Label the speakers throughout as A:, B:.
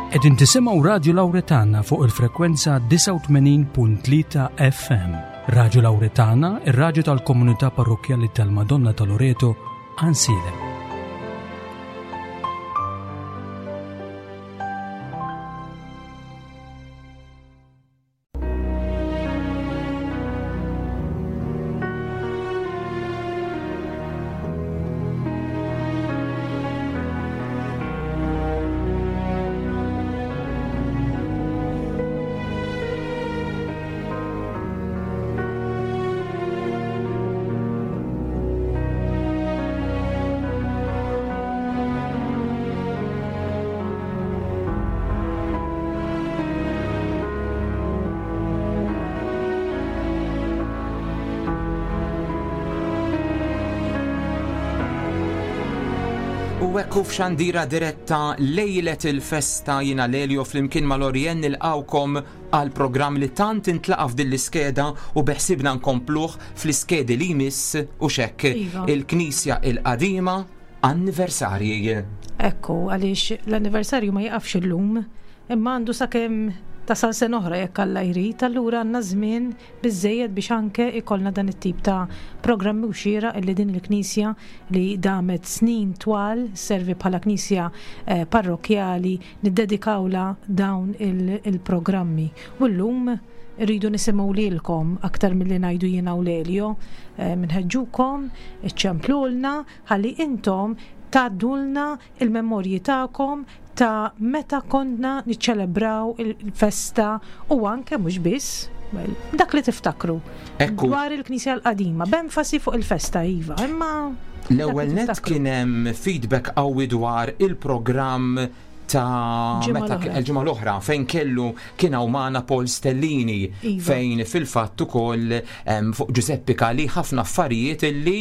A: Qegħdin tisimgħu Radju Lawretana fuq il-frekwenza 89.3 FM. Radju Lawretana, ir-radju tal-komunità parrokkjali tal-Madonna ta' Loreto, Għansielem.
B: U hekk hu f'xandira diretta lejlet il-festa jiena Lelio flimkien ma' Lorien nilqgħukom għal programm li tant intlaqa' f'din l-iskeda u beħsibna nkompluh fl-iskedi li jmiss u xekk
C: Iva.
B: il-Knisja il-Qadima anniversarji.
C: Ekku, għaliex l-anniversarju ma jiqafx illum, imma għandu sakemm tasal sena oħra jekk Alla jrid, allura għandna żmien biżżejjed biex anke ikollna dan it-tip ta' programmi u xieraq illi din il-knisja li damet snin twal sservi bħala knisja eh, parrokkjali niddedikawlha dawn il-programmi. U llum rridu nisimgħu lilkom aktar milli ngħidu jiena u Lelio, eh, minħeġġukom, iċċemplulna ħalli intom tgħaddulna il-memorji tagħkom ta' meta konna niċċelebraw il-festa u anke mhux biss well, dak li tiftakru
B: Ekku.
C: dwar il-Knisja l-qadima, b'enfasi fuq il-festa iva, imma
B: L-ewwel nett kien hemm feedback qawwi dwar il-programm ta'
C: Ġimgħa
B: meta
C: l-oħra.
B: il-ġimgħa l-oħra fejn kellu kien hawn magħna Paul Stellini
C: Iva.
B: fejn fil-fatt ukoll em, fuq Giuseppe Cali ħafna affarijiet illi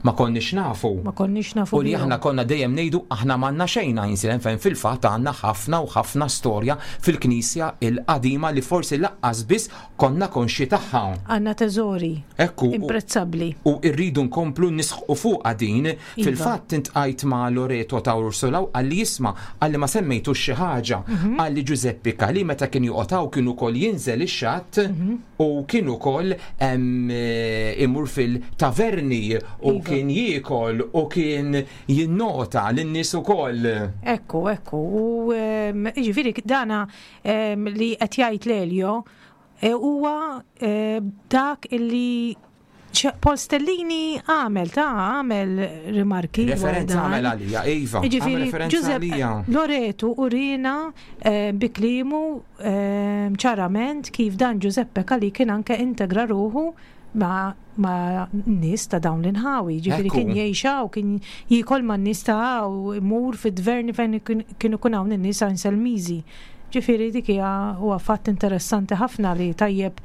B: ma konniex nafu.
C: Ma konniex nafu.
B: U li aħna konna dejjem ngħidu aħna m'għandna xejn Għajnsielem fejn fil-fatt għandna ħafna u ħafna storja fil-Knisja il-qadima li forsi laqqas biss konna konxji tagħha.
C: Għandna teżori.
B: Ekku.
C: Imprezzabbli.
B: U rridu nkomplu nisħqu fuqha din.
C: Iva.
B: Fil-fatt intqajt ma' Loreto ta' Ursula u qalli isma' qalli ma semmejtux xi ħaġa.
C: Mhm.
B: Qalli Giuseppe Calì meta kien joqgħod hawn kien ukoll jinżel ix-xatt
C: mhm.
B: u kien ukoll imur fil-taverni u
C: Iva.
B: kien jiekol u kien jinnota lin-nies ukoll.
C: Ekku, ekku. U jiġifieri dana li qed jgħid Lelio e, huwa e, dak illi Paul Stellini għamel ta' għamel rimarki.
B: Referenza għamel għalija, Iva.
C: Ġifieri, Giuseppe Loretu urina eh, bi klimu eh, ċarament kif dan Giuseppe Calì kien anke integra ruħu ma' ma' nies ta' dawn l-inħawi, ġifieri kien jgħix hawn, kien jiekol man nies ta' hawn, imur fid-dverni fejn kienu jkun hawn in-nies Anselmiżi. Ġifieri dik hija huwa fatt interessanti ħafna li tajjeb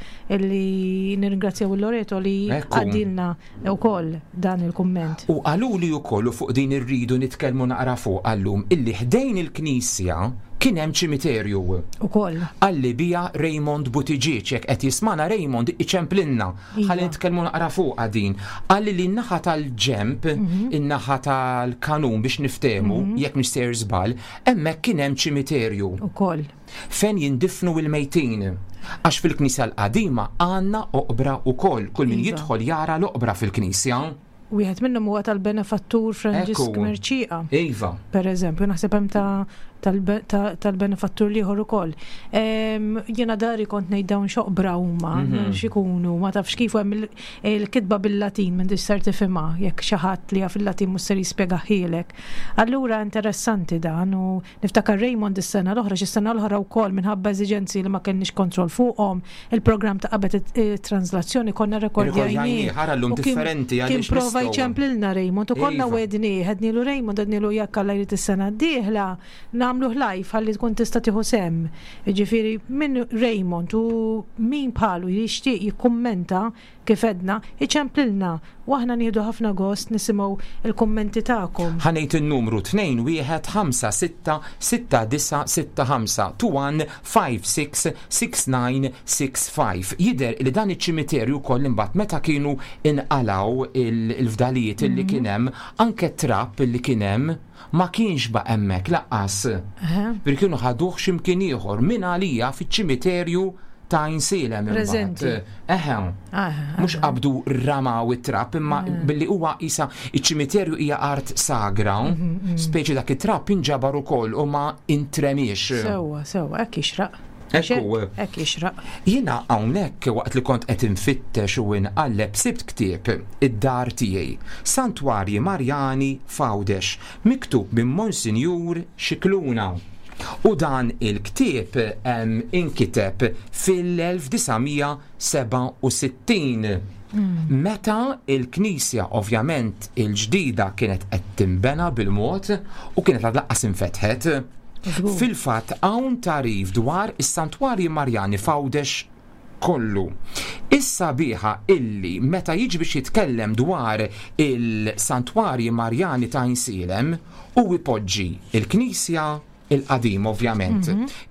C: li nirringrazzjaw il-Loreto li għaddilna wkoll dan il-kumment.
B: U qaluli wkoll u fuq din irridu nitkellmu naqra fuqha llum illi ħdejn il-knisja kien hemm ċimiterju.
C: Ukoll.
B: Qalli biha Raymond Buttigieg, jekk qed jismagħna Raymond iċemplilna ħalli nitkellmu naqra fuqha din. Qalli li n-naħa tal-ġenb, in-naħa tal-kanun biex niftehmu, jekk mhix sejjer żball, Hemmhekk kien hemm ċimiterju.
C: Ukoll.
B: Fejn jindifnu l-mejtin. Għax fil-knisja l-qadima għandna oqbra wkoll. Kull min
C: Iva.
B: jidħol jara l-oqbra fil-knisja.
C: Wieħed minnhom huwa tal-benefattur Franġisk
B: Ekku.
C: Mercieca.
B: Iva.
C: Per eżempju, naħseb hemm ta' tal-benefattur l-ieħor ukoll. Jiena dari kont ngħid dawn x'oqbra huma,
B: Mhm.
C: x'ikunu, ma tafx kif u hemm il-kitba bil-Latin m'intix ser tifhimha jekk xi ħadd li jaf il-Latin mhux ser jispjegahielek. Allura interessanti dan u niftakar Raymond is-sena l-oħra, xi sena l-oħra wkoll minħabba eżiġenzi li ma kellniex kontroll fuqhom, il-programm ta' qabel it-translazzjoni konna rekordjajnieh.
B: Ħara llum differenti
C: għaliex. Kien prova jċemplilna Raymond u konna
B: Iva.
C: wednieh, għednilu Raymond, għednilu jekk Alla jrid is-sena d-dieħla nagħmluh live ħalli tkun tista' tieħu sehem. Jiġifieri min Raymond u min bħalu jixtieq jikkummenta Kif għedna, iċemplilna u aħna nieħdu ħafna gost nisimgħu l-kummenti tagħkom.
B: Ħa ngħid in-numru 21566965, 21566965. Jidher li dan iċ-ċimiterju wkoll imbagħad meta kienu inqalgħu il. il-fdalijiet illi kien hemm, anke t-trab illi kien hemm ma kienx baqa' hemmhekk lanqas. Ġifieri kienu ħaduh xi mkien ieħor minn għalija fiċ-ċimiterju ta' Għajnsielem imbagħad.
C: Preżenti.
B: Eħe. Mhux qabdu ramaw it-trab imma billi huwa qisha iċ-ċimiterju hija art sagra, speċi dak it-trab inġabar ukoll u ma intremiex.
C: Sewwa, sewwa, hekk jixraq.
B: Ekku.
C: Hekk jixraq.
B: Jiena hawnhekk waqt li kont qed infittex u inqalleb sibt ktieb Id-Dar Tiegħi, Santwarji Marjani f'Għawdex, miktub minn Monsinjur Scicluna. U dan il-ktieb inkiteb fil-1967, meta l-knisja ovvjament il-ġdida kienet qed tinbena bil-mod u kienet għad lanqas infetħet. Fil-fatt hawn tagħrif dwar is-Santwarji Marjani f'Għawdex kollu. Is-sabiħa illi meta jiġi biex jitkellem dwar il-Santwarji Marjani ta' Għajnsielem hu jpoġġi l-knisja l-qadim ovvjament.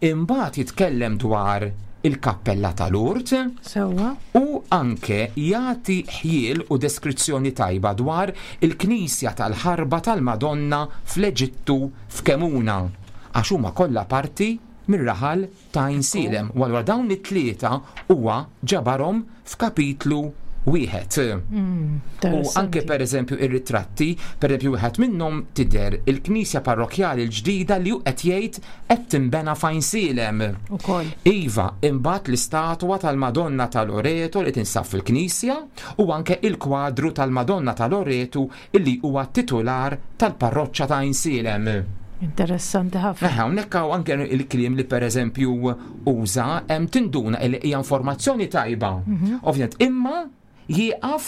B: Imbagħad jitkellem dwar il-kappella ta' Lourdes.
C: Sewwa.
B: U anke jagħti ħjiel u deskrizzjoni tajba dwar il-knisja tal-Ħarba tal-Madonna fl-Eġittu f'Kemuna, għax huma kollha parti mir-raħal ta' Għajnsielem, u allura dawn it-tlieta huwa ġabarhom f'kapitlu wieħed. U anke pereżempju ir-ritratti, pereżempju wieħed minnhom tidher il-knisja parrokkjali l-ġdida li hu qed jgħid qed tinbena f'Għajnsielem.
C: Ukoll.
B: Iva, imbagħad l-istatwa tal-Madonna ta' Loreto li tinsab fil-knisja u anke il-kwadru tal-Madonna ta' Loreto illi huwa t-titular tal-parroċċa ta' Għajnsielem.
C: Interessanti ħafna.
B: Eħe, hawnhekk hawn anke il-kliem li pereżempju uża, hemm tinduna illi hija informazzjoni tajba. Ovvjament, imma jieqaf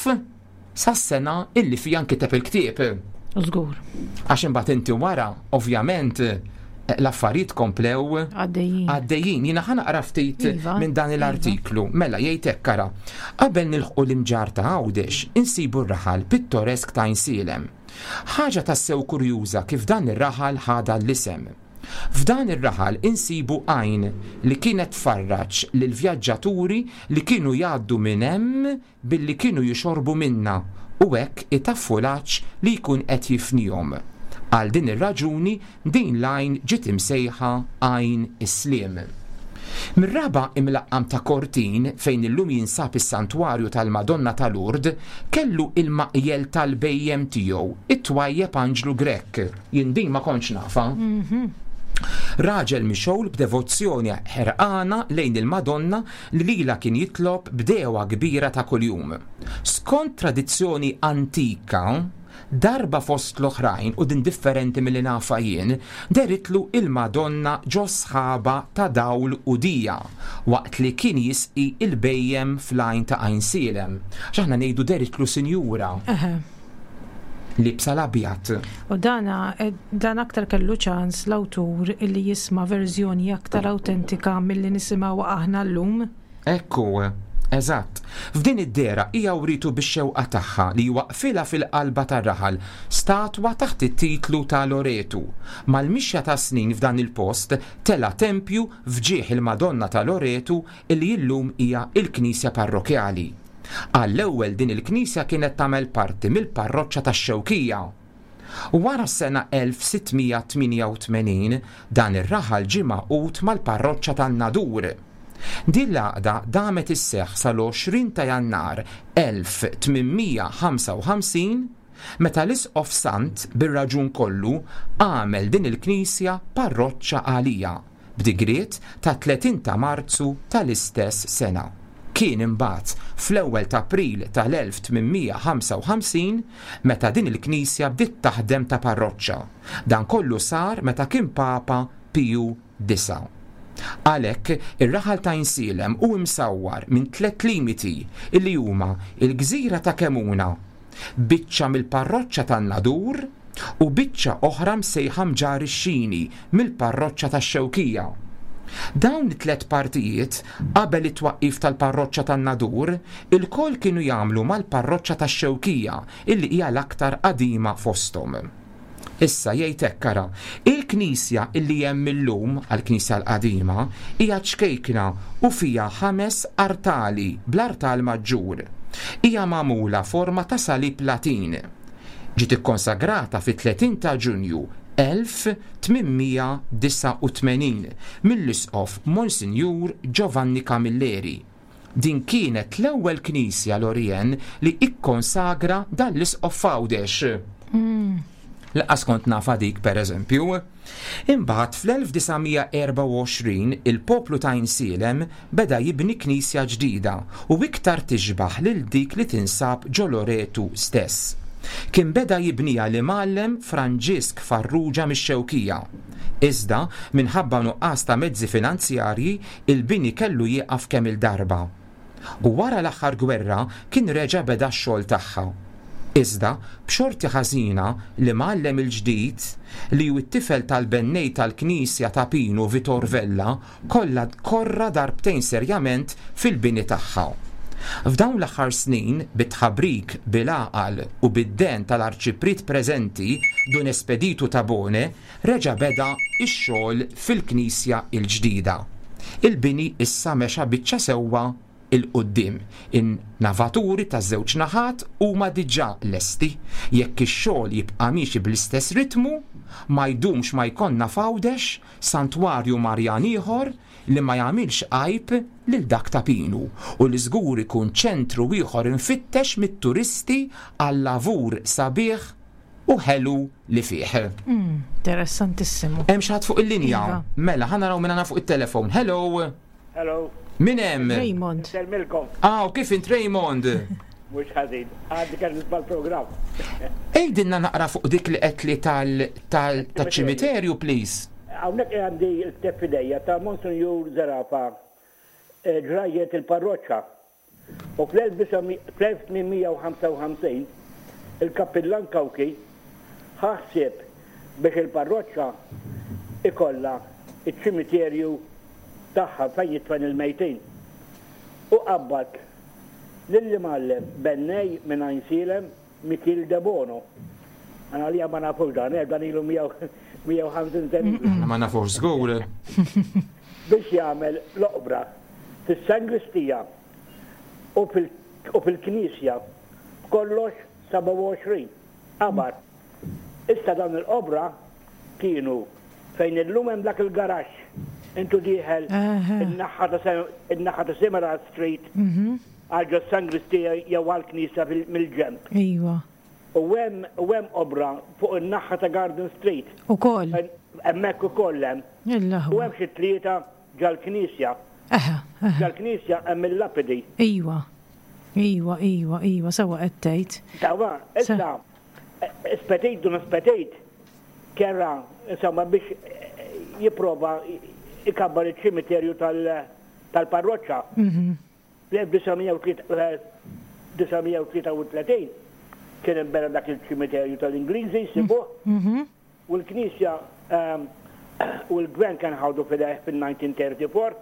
B: sas-sena illi fiha nkiteb il-ktieb.
C: Żgur.
B: Għax imbagħad inti wara, ovvjament, l-affarijiet komplew
C: għaddejjin.
B: Għaddejjin. Jiena ħa naqra ftit
C: iva,
B: minn dan
C: iva.
B: l-artiklu. Mela jgħid hekk ara. Qabel nilħqu l-imġar ta' Għawdex, insibu r-raħal pittoresk ta' Għajnsielem. Ħaġa tassew kurjuża kif dan ir-raħal ħa dan l-isem. F'dan ir-raħal insibu għajn li kienet tfarraġ lill-vjaġġaturi li kienu jgħaddu minn hemm billi kienu jixorbu minnha u hekk itaffu l-għatx li jkun qed jifnihom. Għal din ir-raġuni din l-għajn ġiet imsejħa Għajn is-Sliem. Mir-raba' imlaqqam ta' Kortin, fejn illum jinsab is-Santwarju tal-Madonna ta' Lourdes, kellu il-maqjel tal-bhejjem tiegħu, it-twajjeb Anġlu Grech. Jien din ma kontx nafha. Raġel mixgħul b'devozzjoni ħerqana lejn il-Madonna li lilha kien jitlob b'degħwa kbira ta' kuljum. Skont tradizzjoni antika, darba fost l-oħrajn, u din differenti milli nafha jien, dehritlu il-Madonna ġo sħaba ta' dawl u dija waqt li kien jisqi l-bhejjem fl-għajn ta' Għajnsielem. Għax aħna ngħidu dehritlu sinjura. Liebsa l-abjad.
C: U dana, dan aktar kellu ċans l-awtur illi jisma' verżjoni aktar awtentika milli nisimgħuha aħna llum.
B: Hekk hu, eżatt. F'din id-dehra hija wrietu bix-xewqa tagħha li jwaqqfilha fil-qalba tar-raħal statwa taħt it-titlu ta' Loretu. Mal-mixja tas-snin f'dan il-post tela' tempju f'ġieħ il-Madonna ta' Loretu illi illum hija l-knisja parrokkjali. Għall-ewwel din il-knisja kienet tagħmel parti mill-parroċċa tax-Xewkija. Wara s-sena 1688 dan ir-raħal ġie magħqud mal-parroċċa tan-Nadur. Din l-għaqda damet isseħħ sal-20 ta' Jannar 1855 meta l-Isqof Sant bir-raġun kollu għamel din il-knisja parroċċa għalija. b'digriet tat-30 ta' Marzu tal-istess sena. Kien imbagħad fl-ewwel t'April tal-1855 meta din il-knisja bdiet taħdem ta' parroċċa. Dan kollu sar meta kien Papa Piju Disa'. Għalhekk, ir-raħal ta' Għajnsielem hu msawwar minn tlett limiti illi huma l-gżira ta' Kemuna, biċċa mill-parroċċa tan-Nadur u biċċa oħra msejħa Mġarr ix-Xini mill-parroċċa tax-Xewkija. Dawn it-tliet partijiet, qabel it-twaqqif tal-parroċċa tan-Nadur, ilkoll kienu jagħmlu mal-parroċċa tax-Xewkija illi hija l-aktar qadima fosthom. Issa, jgħid hekk, ara, il-knisja illi hemm illum, għall-knisja l-qadima, hija ċkejkna u fiha ħames artali bl-artal maġġur. Hija magħmula forma ta' salib Latin. Ġiet ikkonsagrata fit-30 ta' Ġunju 1889 mill-Isqof Monsinjur Giovanni Camilleri. Din kienet l-ewwel knisja Lorien li ikkonsagra dan l-isqof f'Għawdex. Lanqas kont nafha dik pereżempju. Imbagħad fl-1924 il-poplu ta' Għajnsielem beda jibni knisja ġdida u iktar tixbah lil dik li tinsab ġo Loretu stess. Kien beda jibniha l-imgħallem Franġisk Farrugia mix-Xewkija. Iżda, minħabba nuqqas ta' mezzi finanzjarji, il-bini kellu jieqaf kemm-il darba. U wara l-aħħar gwerra kien reġa' beda x-xogħol tagħha. Iżda, b'xorti ħażina, l-imgħallem il-ġdid, li hu t-tifel tal-bennej tal-knisja ta' Pinu Vitor Vella, kollha korra darbtejn serjament fil-bini tagħha. F'dawn l-aħħar snin, bit-tħabrik, bil-għaqal u bid-dehen tal-Arċipriet preżenti, Dun Espedito Tabone, reġa' beda x-xogħol fil-knisja l-ġdida. Il-bini issa mexa biċċa sewwa 'l quddiem. In-navaturi taż-żewġ naħat huma diġà lesti. Jekk ix-xogħol jibqa' miexi bl-istess ritmu, ma jdumx ma jkollna f'Għawdex santwarju Marjan ieħor li ma jagħmilx għajb lil dak ta' Pinu u li żgur ikun ċentru ieħor imfittex mit-turisti għal-lavur sabiħ u ħelu li fih.
C: Interessantissimu.
B: Hemm xi ħadd fuq il-linja?
C: Iva.
B: Mela, ħa naraw min għandna fuq it-telefon. Hello.
D: Hello.
B: Min hemm?
C: Raymond.
D: Insellmilkom.
B: Ah, u kif int Raymond?
D: Mhux ħażin. Għaddi kemm nisma' l-programm.
B: Għidilna naqra fuq dik li qed li tal-ċimiterju, please.
D: Hawnhekk għandi l-ktieb f'idejja ta' Monsinjur Zerafa ġrajjet il-parroċċa. U fl-1855 il-Kappillan Cauchi ħa ħsieb biex il-parroċċa ikollha ċ-ċimiterju tagħha fejn jidfen il-mejtin. U qabbad lill-imgħallem bennej minn Għajnsielem Mikiel Debono. Għana għalija ma nafux dan, eh, dan ilu 150 sena ilu.
B: Aħna ma nafux żgur.
D: Biex jagħmel l-oqbra fis-sangristija u fil-knisja b'kollox 27 qabar. Issa dawn il-qobra kienu fejn illum hemm dak il-garaxx intu dieħel in-naħa ta' in-naħa ta' Semerad Street għal ġos-sangristija jew għall-knisja mill-ġenb.
C: Iva.
D: U hemm u hemm qobra fuq in-naħa ta' Garden Street.
C: Ukoll.
D: Hemmhekk ukoll hemm.
C: Il-aħwa.
D: U hemm xi tlieta ġal-knisja.
C: Eħe, eħe.
D: Ġal-knisja hemm il-lapidi.
C: Iva. Iva, iva, iva, sewwa qed tgħid.
D: Sewwa, issa Spetit dun Spetit kera insomma biex jipprova jkabbar iċ-ċimiterju tal-parroċċa. Fl-1933 kien inbena dak il-ċimiterju tal-Ingliżi jsibuh. U l-Knisja u l-Gvern kien ħadu f'idejh fin-1934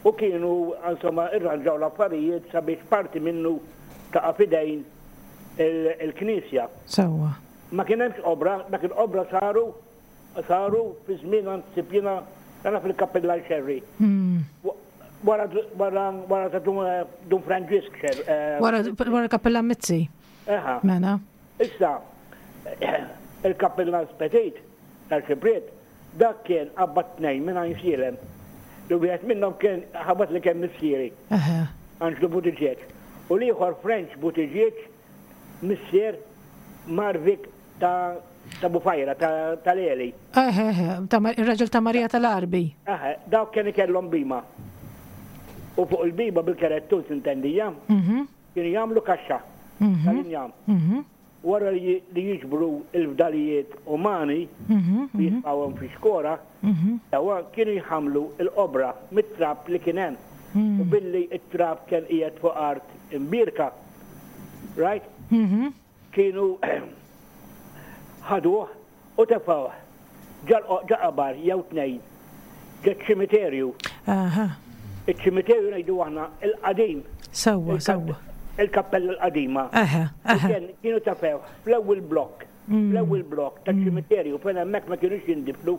D: u kienu insomma irranġaw l-affarijiet sabiex parti minnu taqa' f'idejn il-Knisja.
C: Sewwa.
D: Ma kien hemmx qobra, dak il-qobra saru saru fi żmien naħseb jiena nara fil-Kappillan Xerri. Wara wara wara ta' Dun Franġisk Xerri.
C: Wara wara l-Kappillan Mizzi.
D: Eħa.
C: Mela.
D: Issa, il-Kappillan Petit tal-Xipriet, dak kien qabbad tnejn minn Għajnsielem, li wieħed minnhom kien ħabat li kien missieri, Anġlu Buttigieg, u l-ieħor French Buttigieg, missier Marvic ta' ta' Bufajra, ta' Leli.
C: Eħe, eħe, ir-raġel ta' Marija tal-Għarbi.
D: Eħe, dawk kien ikellhom bhima. U fuq il-bhima bil-kerettun s'intendija. Kienu jagħmlu kaxxa tal-injam. Wara li jiġbru l-fdalijiet umani u jitfgħuhom fi xkora, sewwa kienu jħammlu l-qobra mit-trab li kien hemm. U billi t-trab kien qiegħed fuq art imbierka, right? Kienu ħaduh u tefgħuh ġa qabar jew tnejn ġoċ-ċimiterju.
C: Aha.
D: Iċ-ċimiterju ngħidu aħna il-qadim.
C: Sewwa, sewwa.
D: Il-kappella l-qadima.
C: Aha, aha.
D: Kienu tefgħuh fl-ewwel blokk, fl-ewwel blokk taċ-ċimiterju fejn hemmhekk ma kinux jindifnu.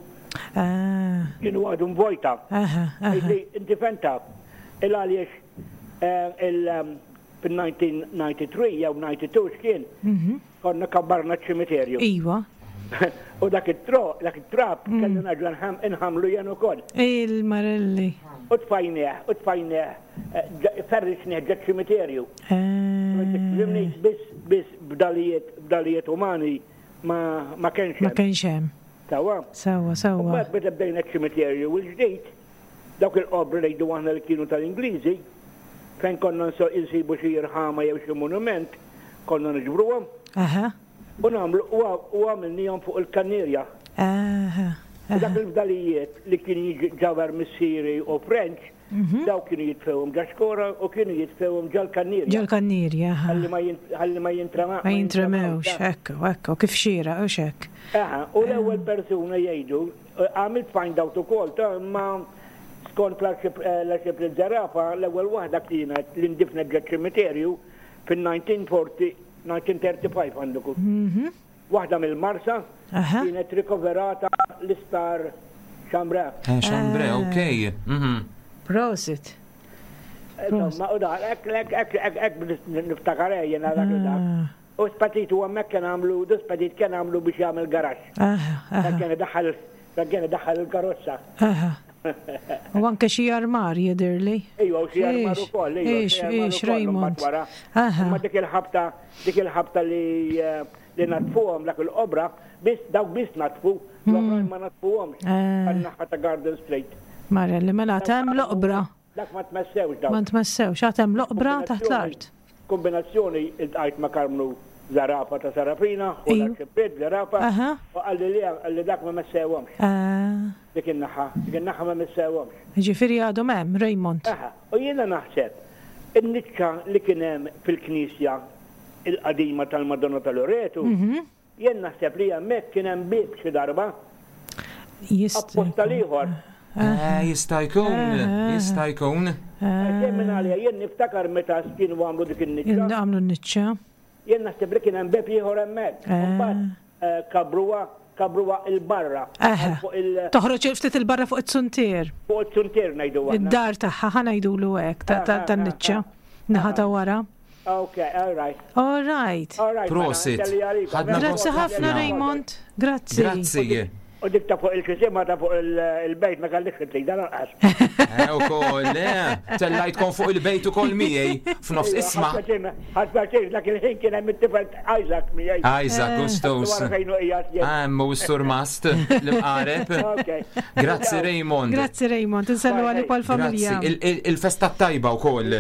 C: Ah.
D: Kienu għadhom vojta.
C: Aha, aha.
D: Inti fhemtha? Il għaliex il. Fil-1993 jew 92 x'kien, konna kabbarna ċ-ċimiterju.
C: Iva.
D: U dak it-tro, dak it-trab mm. kelli nerġa' nħamlu jien ukoll.
C: Il-marelli.
D: U tfajnieh, u tfajnieh, eh, ferrixnieh ġa ċimiterju. Eh. Biss biss b'dalijiet b'dalijiet umani ma ma kienx
C: hemm. Ma kienx hemm.
D: Sawa.
C: Sawa, sawa.
D: U mbagħad meta bdejna ċ-ċimiterju l-ġdid, Dawk il-qobri ngħidu aħna li kienu tal-Ingliżi, fejn konna nsibu xi irħama jew xi monument, konna niġbruhom.
C: Aha.
D: U nagħmlu u għamilnihom fuq il-kannierja.
C: Aha.
D: U dak il-fdalijiet li kien jiġi missieri u French, mhm. dawk kienu jitfewhom ġa xkora u kienu jitfewhom ġal kannierja.
C: Ġal kannierja,
D: Ħalli ma jintrema.
C: Ma jintremewx, ekku, ekku, kif xira, u xek.
D: Aha, u l-ewwel persuna jgħidu Għamilt find out ukoll ta' imma skont l-Arċipriet Zerafa l-ewwel waħda kienet li ndifnet ġoċ-ċimiterju fin-1940, 1935 għandu jkun. Waħda mill-Marsa kienet rikoverata l-isptar Chambre.
B: Chambre, ok.
C: Prosit.
D: Insomma, u da, hekk, hekk, hekk, hekk niftakar jiena dak il-dak. U Spatit u hemmhekk kien għamlu, du Spatit kien għamlu biex jagħmel garaxx. Dak kien idaħħal, dak kien idaħħal il-karozza.
C: Aha. U anke xi armar jidhirli.
D: Ejwa, u xi armar ukoll, ejwa.
C: Ix, ix, Raymond.
D: Aha. Imma dik il-ħabta, dik il-ħabta li li natfuhom dak il-qobra, biss dawk biss natfu, l-oħrajn ma natfuhomx. Għan-naħa ta' Garden Street.
C: Marelli, mela hemm l-oqbra.
D: Dak ma tmessewx dawk.
C: Ma tmessewx, għad hemm l-oqbra taħt l-art.
D: Kombinazzjoni iltqajt ma' Karmnu Zerafa ta' Serafina, u l-Arċipriet Zerafa, u qalli le, qalli dak ma messewhomx. Dik in-naħa, dik in-naħa ma messewhomx.
C: Jiġifieri għadhom hemm, Raymond.
D: Aha, u jiena naħseb in-niċċa li kien hemm fil-knisja l-qadima tal-Madonna ta' Loretu, Jien naħseb li hemmhekk kien hemm bieb xi darba. Apposta l-ieħor.
B: Eh, jista' jkun, jista' jkun.
D: Jien minn għalija, jien niftakar meta kienu għamlu dik in-niċċa.
C: Għamlu n-niċċa.
D: Jien naħseb li kien hemm bieb ieħor hemmhekk. Mbagħad eh, kabruha kabruha il-barra.
C: Toħroġ ftit il-barra fuq it-suntier.
D: Fuq it-suntier ngħidu.
C: Id-dar tagħha ħa ngħidulu hekk tan-niċċa. Naħa ta' wara.
D: Ok, all right.
C: All right.
D: All right.
C: Mela,
B: Prosit.
C: Ħadna Grazzi ħafna Raymond. Grazzi.
B: Grazzi.
D: U dik ta' fuq il-kisima ta' fuq il-bejt ma kellix trid dan anqas.
B: Eh, ukoll, eh, tellajtkom fuq il-bejt ukoll miegħi f'nofs
D: iva,
B: isma'.
D: Ħadd pjaċir dak il-ħin kien hemm it-tifel Isaac miegħi.
B: Isaac, gustus. Hemm u s-surmast l-imqareb. Grazzi Raymond.
C: Grazzi Raymond, insellu għalik għal familja.
B: Il-festa tajba wkoll.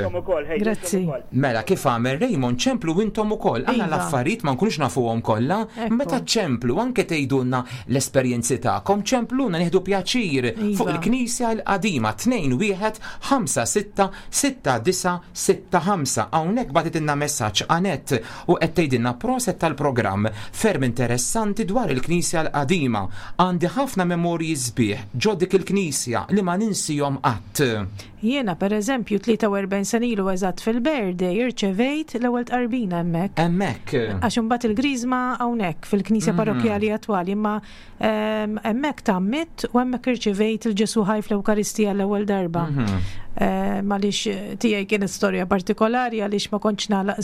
C: Grazzi.
B: Mela kif għamel Raymond ċemplu intom ukoll. Aħna iva. l-affarijiet ma nkunux nafuhom kollha. Meta ċemplu anke tgħidulna l-esperjenzi tagħkom, ċempluna nieħdu pjaċir iva. fuq il-Knisja l-qadima 2 1 5 6 6 9 6 5. Hawnhekk bagħtitilna messaġġ Anett u qed tgħidilna proset tal-programm ferm interessanti dwar il-Knisja l-qadima. Għandi ħafna memorji sbieħ ġo dik il-Knisja li ma ninsihom qatt.
C: Jiena, per eżempju, 43 sena ilu eżatt fil-birthday irċevejt l-ewwel tqarbina hemmhekk.
B: Hemmhekk.
C: Għax imbagħad il-griżma hawnhekk fil-knisja parrokkjali attwali, imma hemmhekk tgħammidt u hemmhekk irċevejt il-Ġesù ħaj fl-Ewkaristija l-ewwel darba. Għaliex tiegħi kienet storja partikolari għaliex ma kontx nagħlaq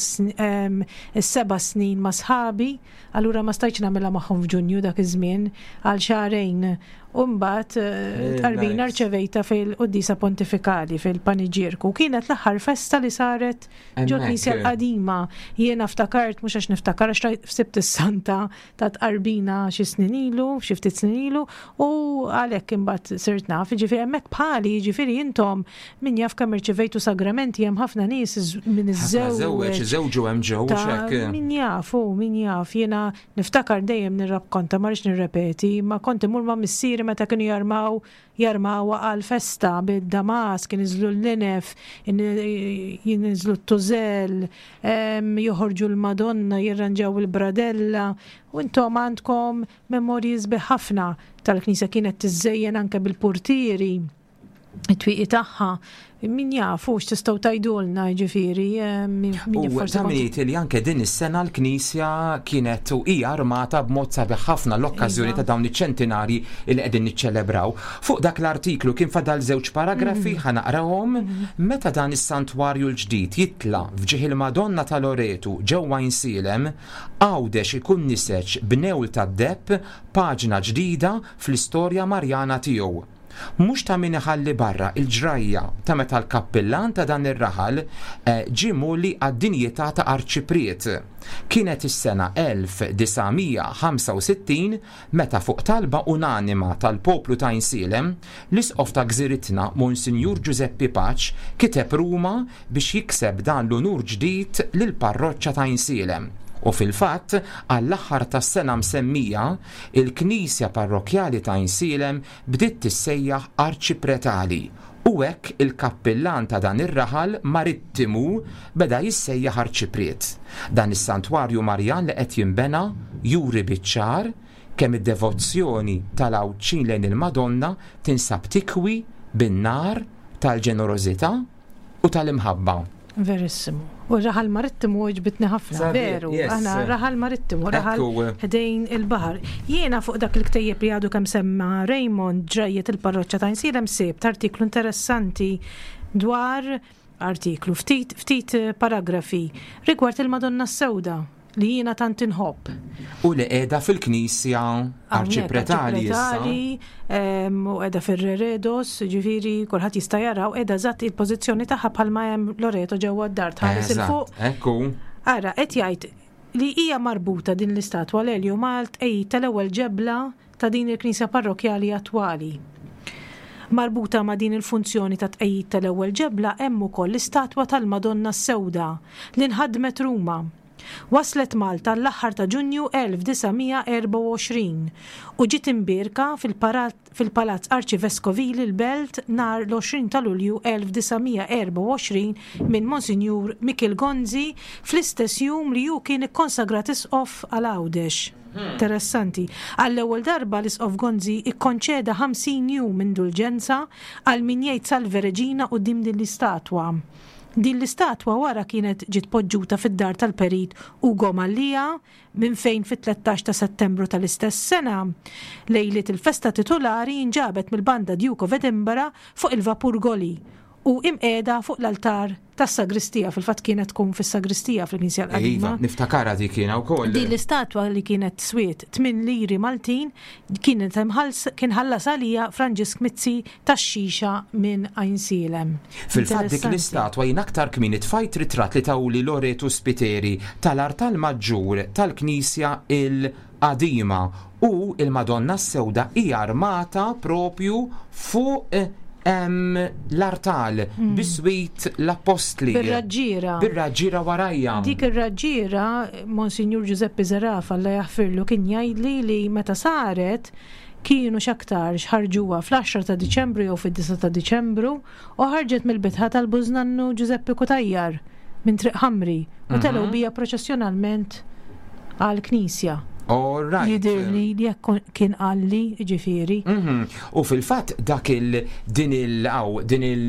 C: is-seba' snin ma' sħabi. Allura ma stajtx nagħmilha magħhom f'Ġunju dak iż-żmien għal xahrejn. U mbagħad eh, tqarbina rċevejta fil-Quddiesa Pontifikali fil-Paniġierku. Kienet l-aħħar festa li saret ġo knisja l-qadima. Jiena ftakart mhux għax niftakar għax fsibt is-santa ta' tqarbina xi snin ilu, xi ftit snin ilu, u għalhekk imbagħad sirt naf, jiġifieri hemmhekk bħali, jiġifieri intom min jaf kemm irċivejtu sagramenti hemm ħafna nies min
B: iżżewweġ. Żewġu hemm ġew hekk.
C: Min jaf, hu min jaf, jiena niftakar dejjem nirrakkonta ma rridx nirrepeti, ma kont immur ma' missieri meta kienu jarmaw jarmawha għal festa bid-damask, iniżlu l-linef, jiniżlu t-tużell, joħorġu l-Madonna, jirranġaw il-bradella, u intom għandkom Memorji sbieħ ħafna tal-knisja kienet tiżżejjen anke bil-purtieri. It-twieqi tagħha Min jaf hux tistgħu tgħidulna jiġifieri min
B: U
C: forsi
B: ta' min jgħid li anke din is-sena l-Knisja kienet u hija armata b'mod sabiħ ħafna l-okkażjoni ta' dawn iċ-ċentinarji li qegħdin niċċelebraw. Fuq dak l-artiklu kien fadal żewġ paragrafi ħa naqrahom. Meta dan is-santwarju l-ġdid jitla' f'ġieħ il-Madonna ta' Loretu ġewwa Għajnsielem, Għawdex ikun niseġ b'newl tad-deheb paġna ġdida fl-istorja Marjana tiegħu. Mhux ta' min iħalli barra l-ġrajja ta' meta l-kappillan ta' dan ir-raħal ġie mgħolli għad-dinjità ta' arċipriet. Kienet is-sena 1965 meta fuq talba unanima tal-poplu ta' Għajnsielem, l-Isqof ta' gżiritna Monsinjur Ġużeppi Paċ kiteb Ruma biex jikseb dan l-unur ġdid lill-parroċċa ta' Għajnsielem. U fil-fatt, għall-aħħar tas-sena msemmija, il-knisja parrokkjali ta' Għajnsielem bdiet tissejjaħ Arċipretali u hekk il-kappillan ta' dan ir-raħal marittimu beda jissejjaħ Arċipriet. Dan is-santwarju Marjan li qed jinbena juri biċ-ċar kemm id-devozzjoni tal-Għawdxin lejn il-Madonna tinsab tikwi bin-nar tal-ġenerożità u tal-imħabba.
C: Verissimu. U raħal marittimu għoġbitni ħafna, veru. Aħna raħal marittimu, raħal ħdejn il-baħar. Jiena fuq dak il-ktejjeb li għadu kemm semma Raymond ġrajjiet il-parroċċa ta' Għajnsielem sibt artiklu interessanti dwar artiklu ftit ftit paragrafi rigward il-Madonna s-Sewda. li jiena tant inħobb.
B: U li qiegħda fil-knisja Arċipretali issa.
C: U qiegħda fir-Reredos, ġifieri kulħadd jista' jara u qiegħda eżatt il-pożizzjoni tagħha bħalma hemm Loreto ġewwa d-dar tħares il fuq.
B: Ekku.
C: Ara, qed jgħid li hija marbuta din l-istatwa l-Elju mal-tqegħid tal-ewwel ġebla ta' din il-knisja parrokkjali attwali. Marbuta ma' din il-funzjoni ta' tqegħid tal-ewwel ġebla hemm ukoll l-istatwa tal-Madonna s-Sewda li nħadmet Ruma. Waslet Malta l-aħħar ta' Ġunju 1924 u ġiet imbierka fil-Palazz Arċiveskovili l-Belt nhar l-20 ta' Lulju 1924 minn Monsinjur Mikiel Gonzi fl-istess jum li hu kien ikkonsagrat Isqof għal Għawdex. Interessanti. Għall-ewwel darba l-Isqof Gonzi ikkonċeda 50 jum indulġenza għal min jgħid Salve Regina quddiem din l-istatwa. Din l-istatwa wara kienet ġiet poġġuta fid-dar tal-Perit Ugo Mallia minn fejn fit-13 ta' Settembru tal-istess sena, lejliet il-festa titulari inġabet mill-Banda Duke of Edinburgh fuq il-vapur Goli u imqiegħda fuq l-altar tas-sagristija, fil-fatt kienet tkun fis-sagristija fil-Knisja l-Qadima.
B: Iva, niftakarha dik jiena wkoll.
C: Din l-istatwa li kienet swiet 8 liri Maltin kienet kien ħallas għaliha Franġisk Mizzi tax-Xixa minn Għajnsielem.
B: Fil-fatt dik l-istatwa jien aktar kmieni tfajt ritratt li tawli Loreto Spiteri tal-artal maġġur tal-Knisja l-Qadima u l-Madonna s-Sewda hija armata propju fuq l-artal biswit l-appostli.
C: Bir-raġġiera.
B: Bir-raġġiera warajja.
C: Dik ir-raġġiera, Monsinjur Ġużeppi Zerafa, Alla jaħfirlu, kien jgħidli li meta saret kienu x'aktarx ħarġuha fl-għaxra ta' Diċembru jew fid-disgħa ta' Diċembru u ħarġet mill-bitħa tal-bużnannu Ġużeppi Cutajar minn Triq Ħamri u telgħu bija proċessjonalment għall-knisja.
B: All right.
C: Jidhirli li hekk kien qalli, jiġifieri.
B: U fil-fatt dak il din il aw din il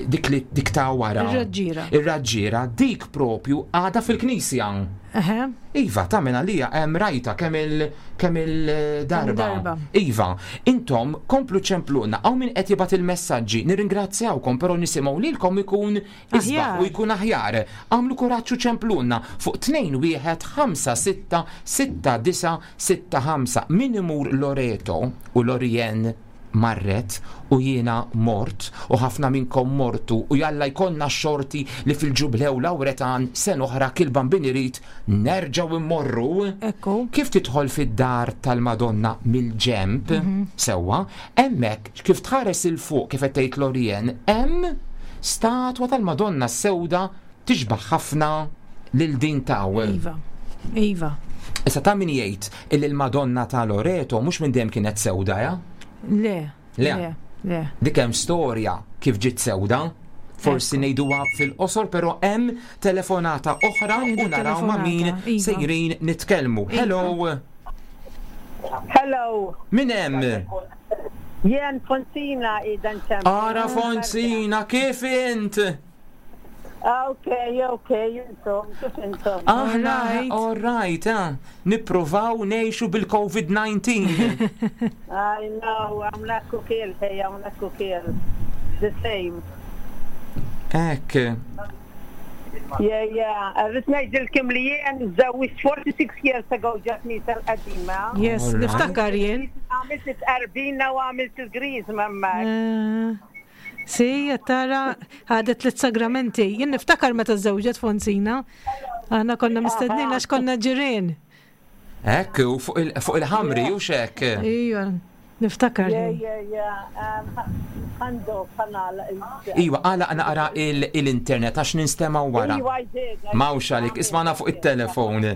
B: dik li dik ta' wara.
C: Ir-raġġiera.
B: Ir-raġġiera dik propju għadha fil-knisja.
C: Eħe.
B: Iva, ta' minn għalija hemm rajta kemm il kemm il-darba. Iva, intom komplu ċempluna, hawn min qed jibgħat il-messaġġi, nirringrazzjawkom, però nisimgħu lilkom ikun isbaħ u jkun aħjar. Agħmlu kuraġġ u ċempluna fuq 2 1 5 6 6 9 6 5. Min imur Loreto u Lorien marret u jiena mort u ħafna minnkom mortu u jalla jkollna x-xorti li fil-Ġublew Lawretan sena oħra kil Bambin irid nerġgħu mmorru.
C: Ekku.
B: Kif tidħol fid-dar tal-Madonna mill-ġenb, sewwa, hemmhekk kif tħares 'il fuq kif qed tgħid Lorien hemm statwa tal-Madonna s-Sewda tixbah ħafna lil din t'hawn.
C: Iva. Iva.
B: Issa ta' min jgħid illi l-Madonna ta' Loreto mhux minn dejjem kienet sewda, ja?
C: Le.
B: Le.
C: Le. Le.
B: Dik hemm storja kif ġiet sewda. Forsi ngħiduha fil-qosor, però hemm telefonata oħra u naraw ma' min
C: iva.
B: sejrin nitkellmu.
C: Iva.
B: Hello.
E: Hello.
B: Min hemm?
E: Jien Fonsina qiegħda nċempel.
B: Ara Fonsina, kif int?
E: Ok, ok, intom, kif intom?
B: Aħna, all right, eh? Nippruvaw ngħixu bil-COVID-19.
E: I know, hawnhekk ukoll, hey, hawnhekk ukoll. The same.
B: Hekk.
E: Yeah, yeah. Rrid ngħidilkom li jien żewwiġt 46 years ago ġo knisja l-qadima.
C: Yes, niftakar jien.
E: Għamilt it-tqarbina u għamilt il-griżma hemmhekk.
C: Eh, Si, tara ħadet li sagramenti. Jien niftakar meta żewġet Fonsina. Aħna konna mistednin għax konna ġirien.
B: Hekk, u fuq il-ħamri, u xek.
C: Ija, niftakar.
B: Iwa, għala naqra l-internet għax ninstema wara. Mawx għalik, ismana fuq il-telefon.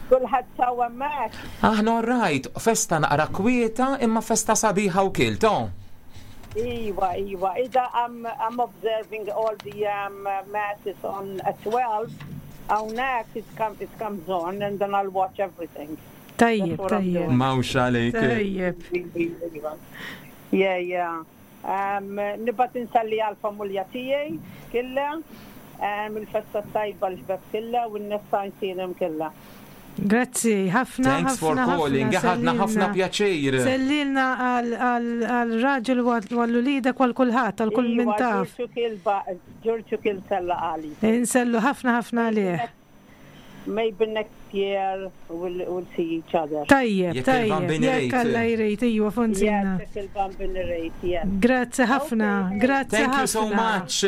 E: Kulħadd sawa mak.
B: Aħna rajt, festa naqra kwieta imma festa sabiħa u kilto.
E: Iwa, iwa, ida I'm, I'm observing all the um, masses on at 12 Hawnhekk it, come, it comes on and then I'll watch everything.
C: Tajjeb, tajjeb.
B: Mawx għalik.
C: Tajjeb.
E: Yeah, yeah. Um, Nibgħat inselli għal-familja tiegħi killa, um, il-festa tajba l-ħbeb killa u n-nies ta' killa.
C: Grazzi, ħafna.
B: Thanks for calling, ħadna ħafna pjaċir.
C: Sellilna għal-raġel u għall-ulida għal kulħadd, għal kull min taf.
E: Ġorġu kien sella għali.
C: Insellu ħafna ħafna għalih.
E: Maybe next year we'll, we'll see each other.
C: Tajjeb, tajjeb. Jekk Alla jrid, iwa Fonsina.
E: Jekk il-Bambin irid, yes.
C: Grazzi ħafna, grazzi
B: Thank you so much.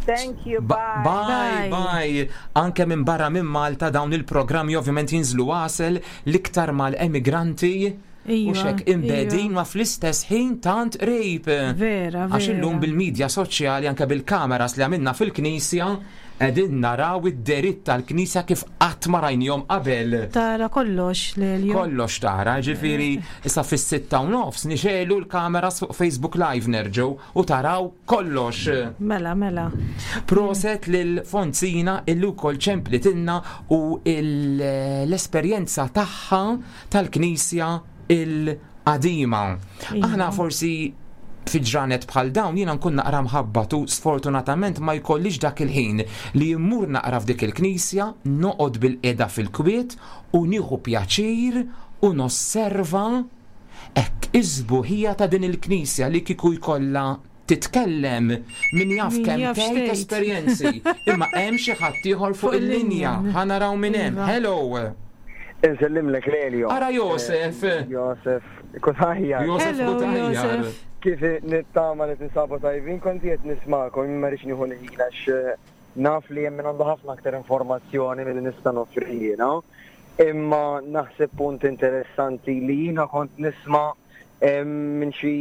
E: Thank you, bye.
B: Bye, bye. Anke minn barra minn Malta dawn il-programmi ovvjament jinżlu għasel l-iktar mal-emigranti. Iva, U xek imbedin ma fl-istess ħin tant qrib.
C: Vera,
B: Għax illum bil-medja soċjali anke bil-kameras li għamilna fil-knisja qegħdin naraw id-deritt tal-knisja kif qatt ma rajnihom qabel.
C: Tara kollox, Lelio.
B: Kollox tara, ġifieri issa fis-6 u nofs nixegħlu l-kameras fuq Facebook Live nerġgħu u taraw kollox.
C: Mela, mela.
B: Proset lil Fonsina illi wkoll ċemplitilna u l-esperjenza tagħha tal-Knisja il-qadima. Aħna forsi fi ġranet bħal dawn jiena nkun naqra mħabbat u sfortunatament ma jkollix dak il-ħin li jimmur naqra f'dik il-knisja, noqgħod bil-qiegħda fil-kwiet u nieħu pjaċir u nosserva hekk is-sbuħija ta' din il-knisja li kieku jkollha titkellem min jaf kemm tgħid esperjenzi. Imma hemm xi ħadd ieħor fuq il-linja. Ħa naraw min hemm. Iva. Hello.
F: Insellimlek Lelio.
B: Ara Josef.
F: Josef, Kutaħjar.
B: Josef Kutaħjar.
F: Kif nittama li tinsabu tajbin, kont qed nismakom, ma rridx nieħu l-ħin għax eh, naf li hemm għandu ħafna aktar informazzjoni milli nista' noffri jiena. Imma naħseb punt interessanti li jiena kont nisma' minn xi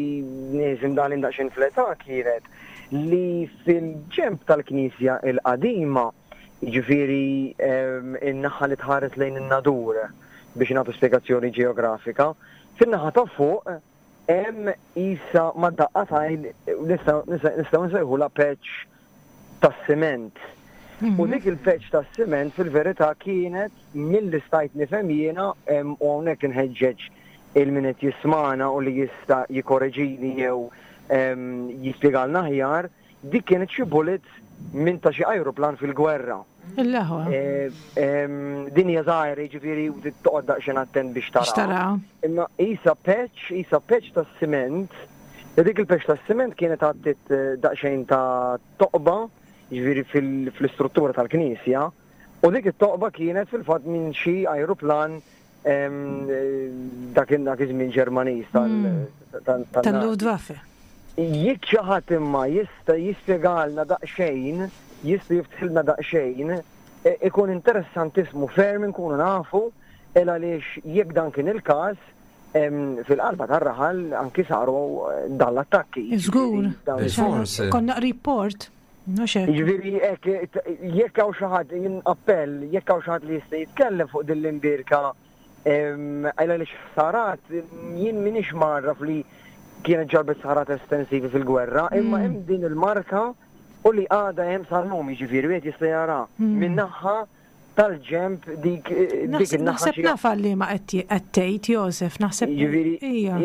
F: nies imdaħlin daqsxejn fl-età kienet li fil-ġemp tal-Knisja il-qadima, jiġifieri in-naħa li tħares lejn in-Nadur biex nagħtu spjegazzjoni ġeografika, fin-naħa ta' fuq hemm isa ma' daqqa t'għajn nistgħu nsejħulha patch tas-siment. U dik il-patch tas-siment fil-verità kienet milli stajt nifhem jiena u hawnhekk inħeġġeġ il-min qed jismana u li jista' jikoreġini jew jispjegalna aħjar, dik kienet xi bullet minn ta' xi ajruplan fil-gwerra.
C: Il-laħwa.
F: Din hija żgħira, jiġifieri toqgħod daqsxejn attent biex tara.
C: Tara.
F: Imma isa patch, isa patch tas-siment, li dik il-patch tas-siment kienet għattit daqsxejn ta' toqba, jiġifieri fl-istruttura tal-knisja, u dik it-toqba kienet fil-fatt minn xi ajruplan dak dak iż-żmien Ġermaniż tal
C: Tal-Luftwaffe.
F: Jekk xi ħadd imma jista' jispjegalna daqsxejn, jista' jiftħilna daqsxejn, ikun interessantissimu ferm inkunu nafu il għaliex jekk dan kien il-każ, fil-qalba tar-raħal anki saru dan l-attakki.
C: Żgur.
B: Bil-fors.
C: Konna qrib port. Mhux hekk.
F: Jiġifieri hekk jekk hawn xi ħadd jien appell, jekk hawn xi ħadd li jista' jitkellem fuq din l-imbirka għal għaliex ħsarat jien m'iniex marraf li kienet ġarbet ħsarat estensivi fil-gwerra, imma hemm din il-marka u li għadha hemm sal-lum jiġifieri wieħed jista' jara min-naħa tal-ġemp dik dik in-naħa
C: Naħseb naf li ma qed tgħid Josef, naħseb.
F: Jiġifieri
C: Ija.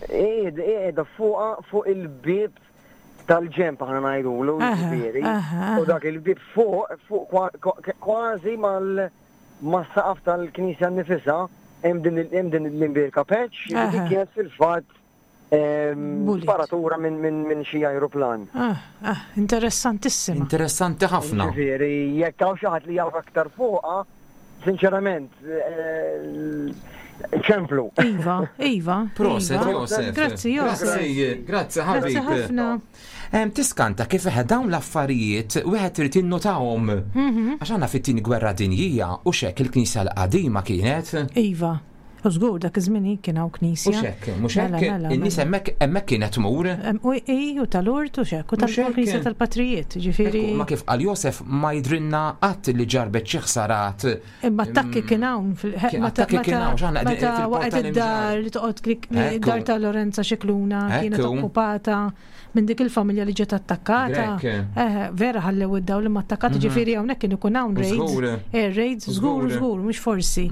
F: Qiegħda fuqha fuq il-bieb tal-ġenb aħna ngħidulu, jiġifieri. U dak il-bieb fuq, fuq kważi mal mas-saqaf tal-knisja nnifisha hemm din hemm din l-imbierka patch li dik kienet fil-fatt sparatura minn xi ajruplan.
C: Ah, ah, interessantissima.
B: Interessanti ħafna.
F: Jiġifieri jekk hawn xi ħadd li jaf aktar fuqha, sinċerament, ċemplu.
C: Iva, iva.
B: Proset,
C: iva.
B: Josef.
C: Grazzi, Josef.
B: Grazzi, grazzi
C: Grazzi
B: ħabib.
C: ħafna.
B: Tiskanta kif eħe dawn l-affarijiet wieħed irid jinnotahom. Għax għandna fit-tieni gwerra dinjija u xek il-knisja l-qadima kienet.
C: Iva. U żgur dak iż-żmien kien hawn
B: U
C: knisja.
B: xek, mhux
C: Mela,
B: hekk,
C: mela,
B: in-nies
C: mela.
B: hemmhekk hemmhekk kienet tmur.
C: U i, u tal-urt u xek, u
B: Mhux hekk.
C: tal-knisja tal-patrijiet, ġifieri.
B: Ekku, Ma kif qal Josef ma jidrinna qatt li ġarbet xi ħsarat.
C: Imma attakki kien hawn fil-
B: Kien
C: meta-
B: attakki kien hawn, x'aħna qegħdin
C: meta
B: fil-Porta
C: waqgħet
B: l-Imġarr.
C: id-dar li toqgħod klik-
B: Ekku.
C: id-dar ta' Lorenza Xikluna kienet
B: Ekku.
C: okkupata minn dik il-familja li ġiet attakkata.
B: Grek.
C: Eh, vera ħallew id-dawl imma attakkati ġifieri hawnhekk kien ikun hawn raids.
B: Żgur.
C: Eh, raids żgur
B: Żgur.
C: żgur mhux forsi.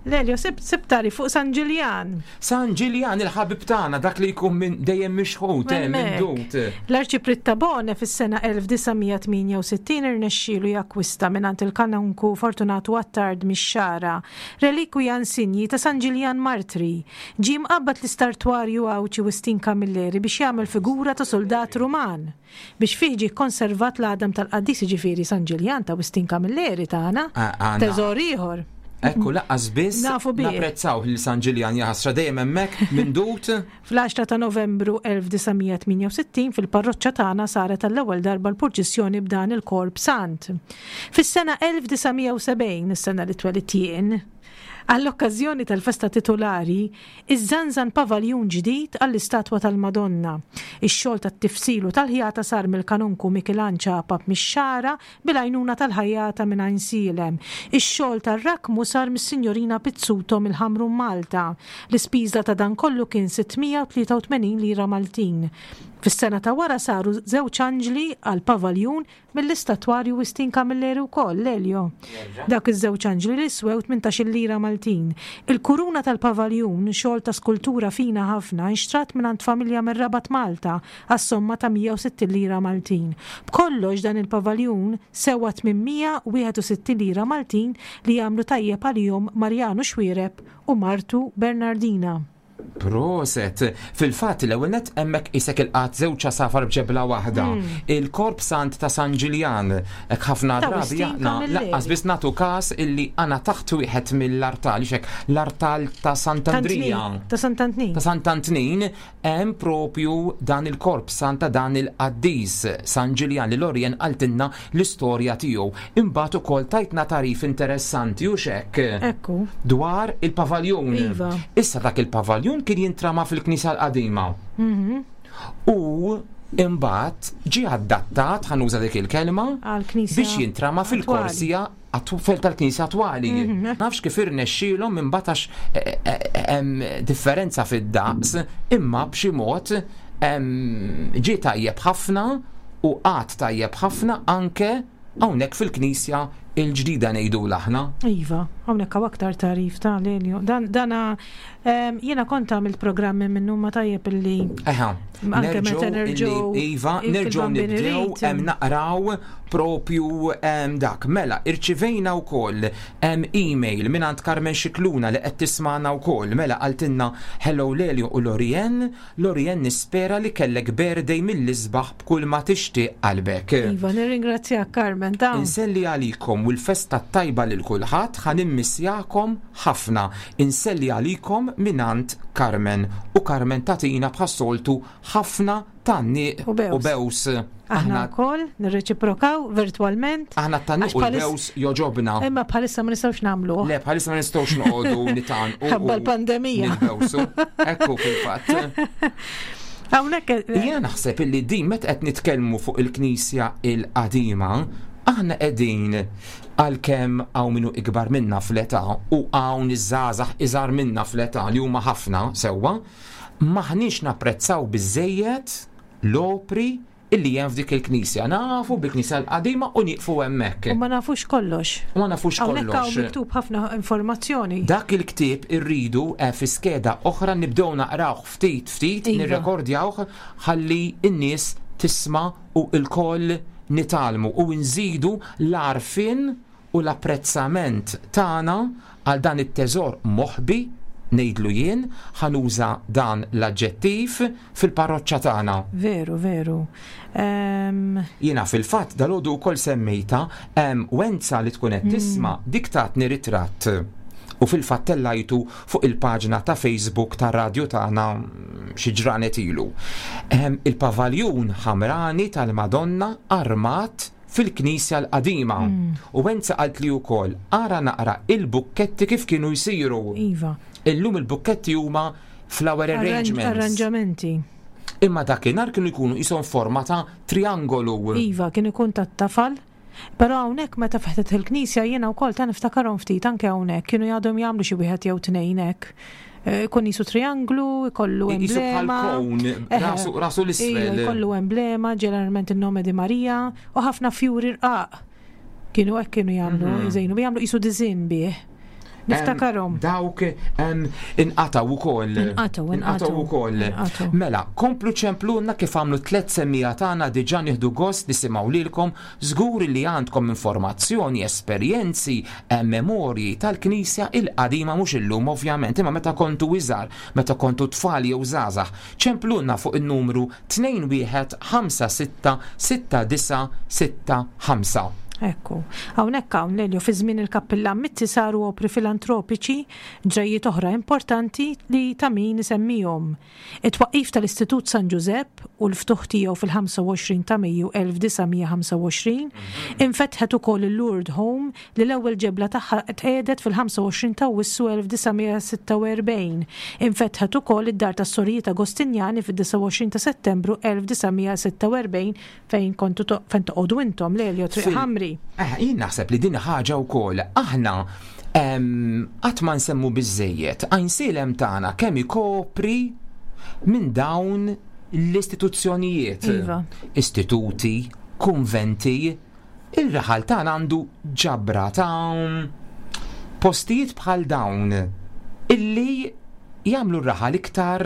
C: Lelio sib sibtari fuq San Ġiljan.
B: San Ġiljan il-ħabib tagħna dak li jkun minn dejjem mixħut, eh, minn
C: Hemmhekk.
B: dut.
C: L-Arċipriet ta' Bone fis-sena 1968 irnexxielu jakkwista mingħand il-kanonku Fortunatu Attard mix-Xagħra relikwija insinji ta' San Ġiljan Martri. Ġie mqabbad l-istartwarju Għawdxi Wistin Camilleri biex jagħmel figura ta' soldat Ruman biex fih ġie kkonservat l-għadam tal-qaddis jiġifieri San Ġiljan ta' Wistin Camilleri tagħna.
B: Ah, għandna.
C: Teżor ieħor.
B: Ekku laqqas biss
C: Nafu bih.
B: napprezzaw li San Ġiljan jaħasra dejjem hemmhekk minn dut.
C: Fl-10 ta' Novembru 1968 fil-parroċċa tagħna saret għall-ewwel darba l-purċissjoni b'dan il-Korp Sant. Fis-sena 1970, is-sena li twelidt jien, għall-okkażjoni tal-festa titulari, iżżanżan pavaljun ġdid għall-istatwa tal-Madonna. Ix-xogħol tat-tifsil u tal-ħjata sar mill-kanonku Mikilan Ċapap mix-Xagħra bil-għajnuna tal-ħajjata minn Għajnsielem. Ix-xogħol tar-rakmu sar mis-Sinjorina Pizzuto mill-Ħamrun Malta. L-ispiża ta' dan kollu kien 683 lira Maltin. Fis-sena ta' wara saru żewġ anġli għall-pavaljun mill-istatwarju Wistin Camilleri wkoll, Lelio. Dawk iż-żewġ anġli li swew 18-il lira Maltin. Il-kuruna tal-pavaljun, xogħol ta' skultura fina ħafna, inxtrat mingħand familja mir-Rabat Malta għas-somma ta' 160 lira Maltin. B'kollox dan il-pavaljun sewa 861 lira Maltin li jagħmlu tajjeb għalihom Marjanu Xuereb u martu Bernardina.
B: Proset. Fil-fatt l-ewwel nett hemmhekk isek il-qatt żewġ għasafar b'ġebla waħda. Il-Korp Sant ta' San Ġiljan, hekk ħafna
C: Ta'
B: drabi
C: Wistin
B: aħna
C: Camilleri.
B: laqqas biss nagħtu każ illi għandna taħt wieħed mill-artal, xek l-artal ta' Sant'Andrija.
C: Ta' Sant'Antnin.
B: Ta' Sant'Antnin hemm propju dan il-korp santa dan il-qaddis San Ġiljan li Lorien qaltilna l-istorja tiegħu. Imbagħad ukoll tajtna tarif interessanti u xek
C: Ekku.
B: dwar il-pavaljun.
C: Iva.
B: Issa dak il-pavaljun kien jintrama fil-knisja l-qadima. U imbagħad ġie adattat, ħanuża dik il-kelma,
C: Għall-knisja
B: biex jintrama
C: attwali.
B: fil-korsija fel tal-knisja attwali. Nafx kif irnexxielhom imbagħad għax hemm differenza fid-daqs, imma b'xi mod ġie tajjeb ħafna u qatt tajjeb ħafna anke hawnhekk fil-knisja il-ġdida ngħidu aħna.
C: Iva, hawnhekk hawn aktar tarif ta' Lelio. Dan dana jiena kont għamilt programmi minnu ma tajjeb illi
B: Eħa,
C: Anke meta
B: nerġgħu
C: nerġgħu
B: illi iva,
C: il-
B: nerġgħu
C: fil-Bambin
B: nibdew
C: Irid.
B: hemm naqraw propju dak. Mela, irċivejna wkoll email mingħand Carmen Xikluna li qed tismana wkoll. Mela qaltilna hello Lelio u Lorien, Lorien nispera li kellek birthday mill-isbaħ b'kull ma tixtieq qalbek.
C: Iva, nirringrazzjak Carmen ta'
B: Inselli għalikom u l-festa tajba lil kulħadd ħa nimmissjakom ħafna. Inselli għalikom minant Carmen u Carmen tatina bħas-soltu ħafna tanni
C: U bews.
B: u bews.
C: Aħna wkoll nirreċiprokaw virtwalment.
B: Aħna t-tanni
C: Għax
B: u
C: bħalis-
B: l-bews joġobna.
C: Imma bħalissa ma nistgħux nagħmluh.
B: Le, bħalissa ma nistgħux noqogħdu nitan u
C: Ħabba l-pandemija.
B: Nil-bewsu. Ekku fil-fatt.
C: Hawnhekk
B: Jiena naħseb illi din meta qed nitkellmu fuq il-Knisja il-qadima, aħna qegħdin għalkemm hawn minnu ikbar minna fl-età u hawn iż-żgħażagħ iżgħar minna fl-età li huma ħafna sewwa, maħniex napprezzaw biżejjed l-opri illi hemm f'dik il-knisja. Nafu bil-knisja l-qadima u nieqfu hemmhekk.
C: U ma nafux kollox.
B: U ma nafux kollox.
C: Hawnhekk hawn miktub ħafna informazzjoni.
B: Dak il-ktieb irridu eh, fi skeda oħra nibdew naqrawh ftit ftit, iva. nirrekordjawh ħalli n-nies tisma' u lkoll nitgħallmu u nżidu l-għarfien u l-apprezzament tagħna għal dan it-teżor moħbi, ngħidlu jien, ħa nuża dan l-aġġettiv, fil-parroċċa tagħna.
C: Veru, veru.
B: Ehm. Jiena fil-fatt dalgħodu wkoll semmejtha, hemm Wenza li tkun qed tisma' dik tatni ritratt u fil-fatt tellajtu fuq il-paġna ta' Facebook tar-radju tagħna xi ġranet ilu. Ehm, il-pavaljun ħamrani tal-Madonna armat fil-knisja l-qadima. Mm. U Wenza qaltli wkoll ara naqra il-bukketti kif kienu jsiru.
C: Iva.
B: Illum il-bukketti huma flower arrangements.
C: Arranġamenti.
B: Imma dakinhar kienu jkunu qishom forma ta' triangolu.
C: Iva, kien ikun tat-tafal. Però hawnhekk meta fetħet il-knisja jiena wkoll ta' niftakarhom ftit anke hawnhekk kienu jgħadhom jagħmlu xi wieħed jew tnejn hekk. Eh, ikun jisu trianglu, ikollu emblema.
B: Rasu rasu l-isfel.
C: Ikollu emblema, ġeneralment il-nome di Maria, u ħafna fjuri rqaq. Kienu hekk kienu jagħmlu, mhm. jżejnu, jagħmlu qisu diżin bih. Niftakarhom.
B: Dawk inqataw ukoll.
C: Inqataw,
B: inqataw ukoll. Mela, komplu ċemplunna kif għamlu tlet semmija tagħna diġà nieħdu gost nisimgħu lilkom, żgur li għandkom informazzjoni, esperjenzi, memorji tal-Knisja il-qadima mhux illum ovvjament, imma meta kontu iżgħar, meta kontu tfal jew żgħażagħ. Ċemplunna fuq in-numru 21 56 69 65.
C: Ekku. Hawnhekk hawn Lelio fi żmien il-Kappillan Mizzi saru opri filantropiċi, ġrajjiet oħra importanti li ta' min isemmihom. It-twaqqif tal-Istitut San Ġużepp u l-ftuħ tiegħu fil-25 ta' Mejju 1925, infetħet ukoll il-Lourdes Home li l-ewwel ġebla tagħha tqiegħdet fil-25 ta' Awwissu 1946. Infetħet ukoll id-Dar tas-Sorijiet Agostinjani fid-29 ta' Settembru 1946 fejn kontu fejn toqogħdu intom, Lelio, Triq Ħamri.
B: Eh, jien naħseb li din ħaġa wkoll aħna qatt ma nsemmu biżejjed għajnsielem tagħna kemm ikopri minn dawn l-istituzzjonijiet.
C: Iva.
B: Istituti, kunventi, Ir-raħal tagħna għandu ġabra ta' postijiet bħal dawn illi jagħmlu r-raħal iktar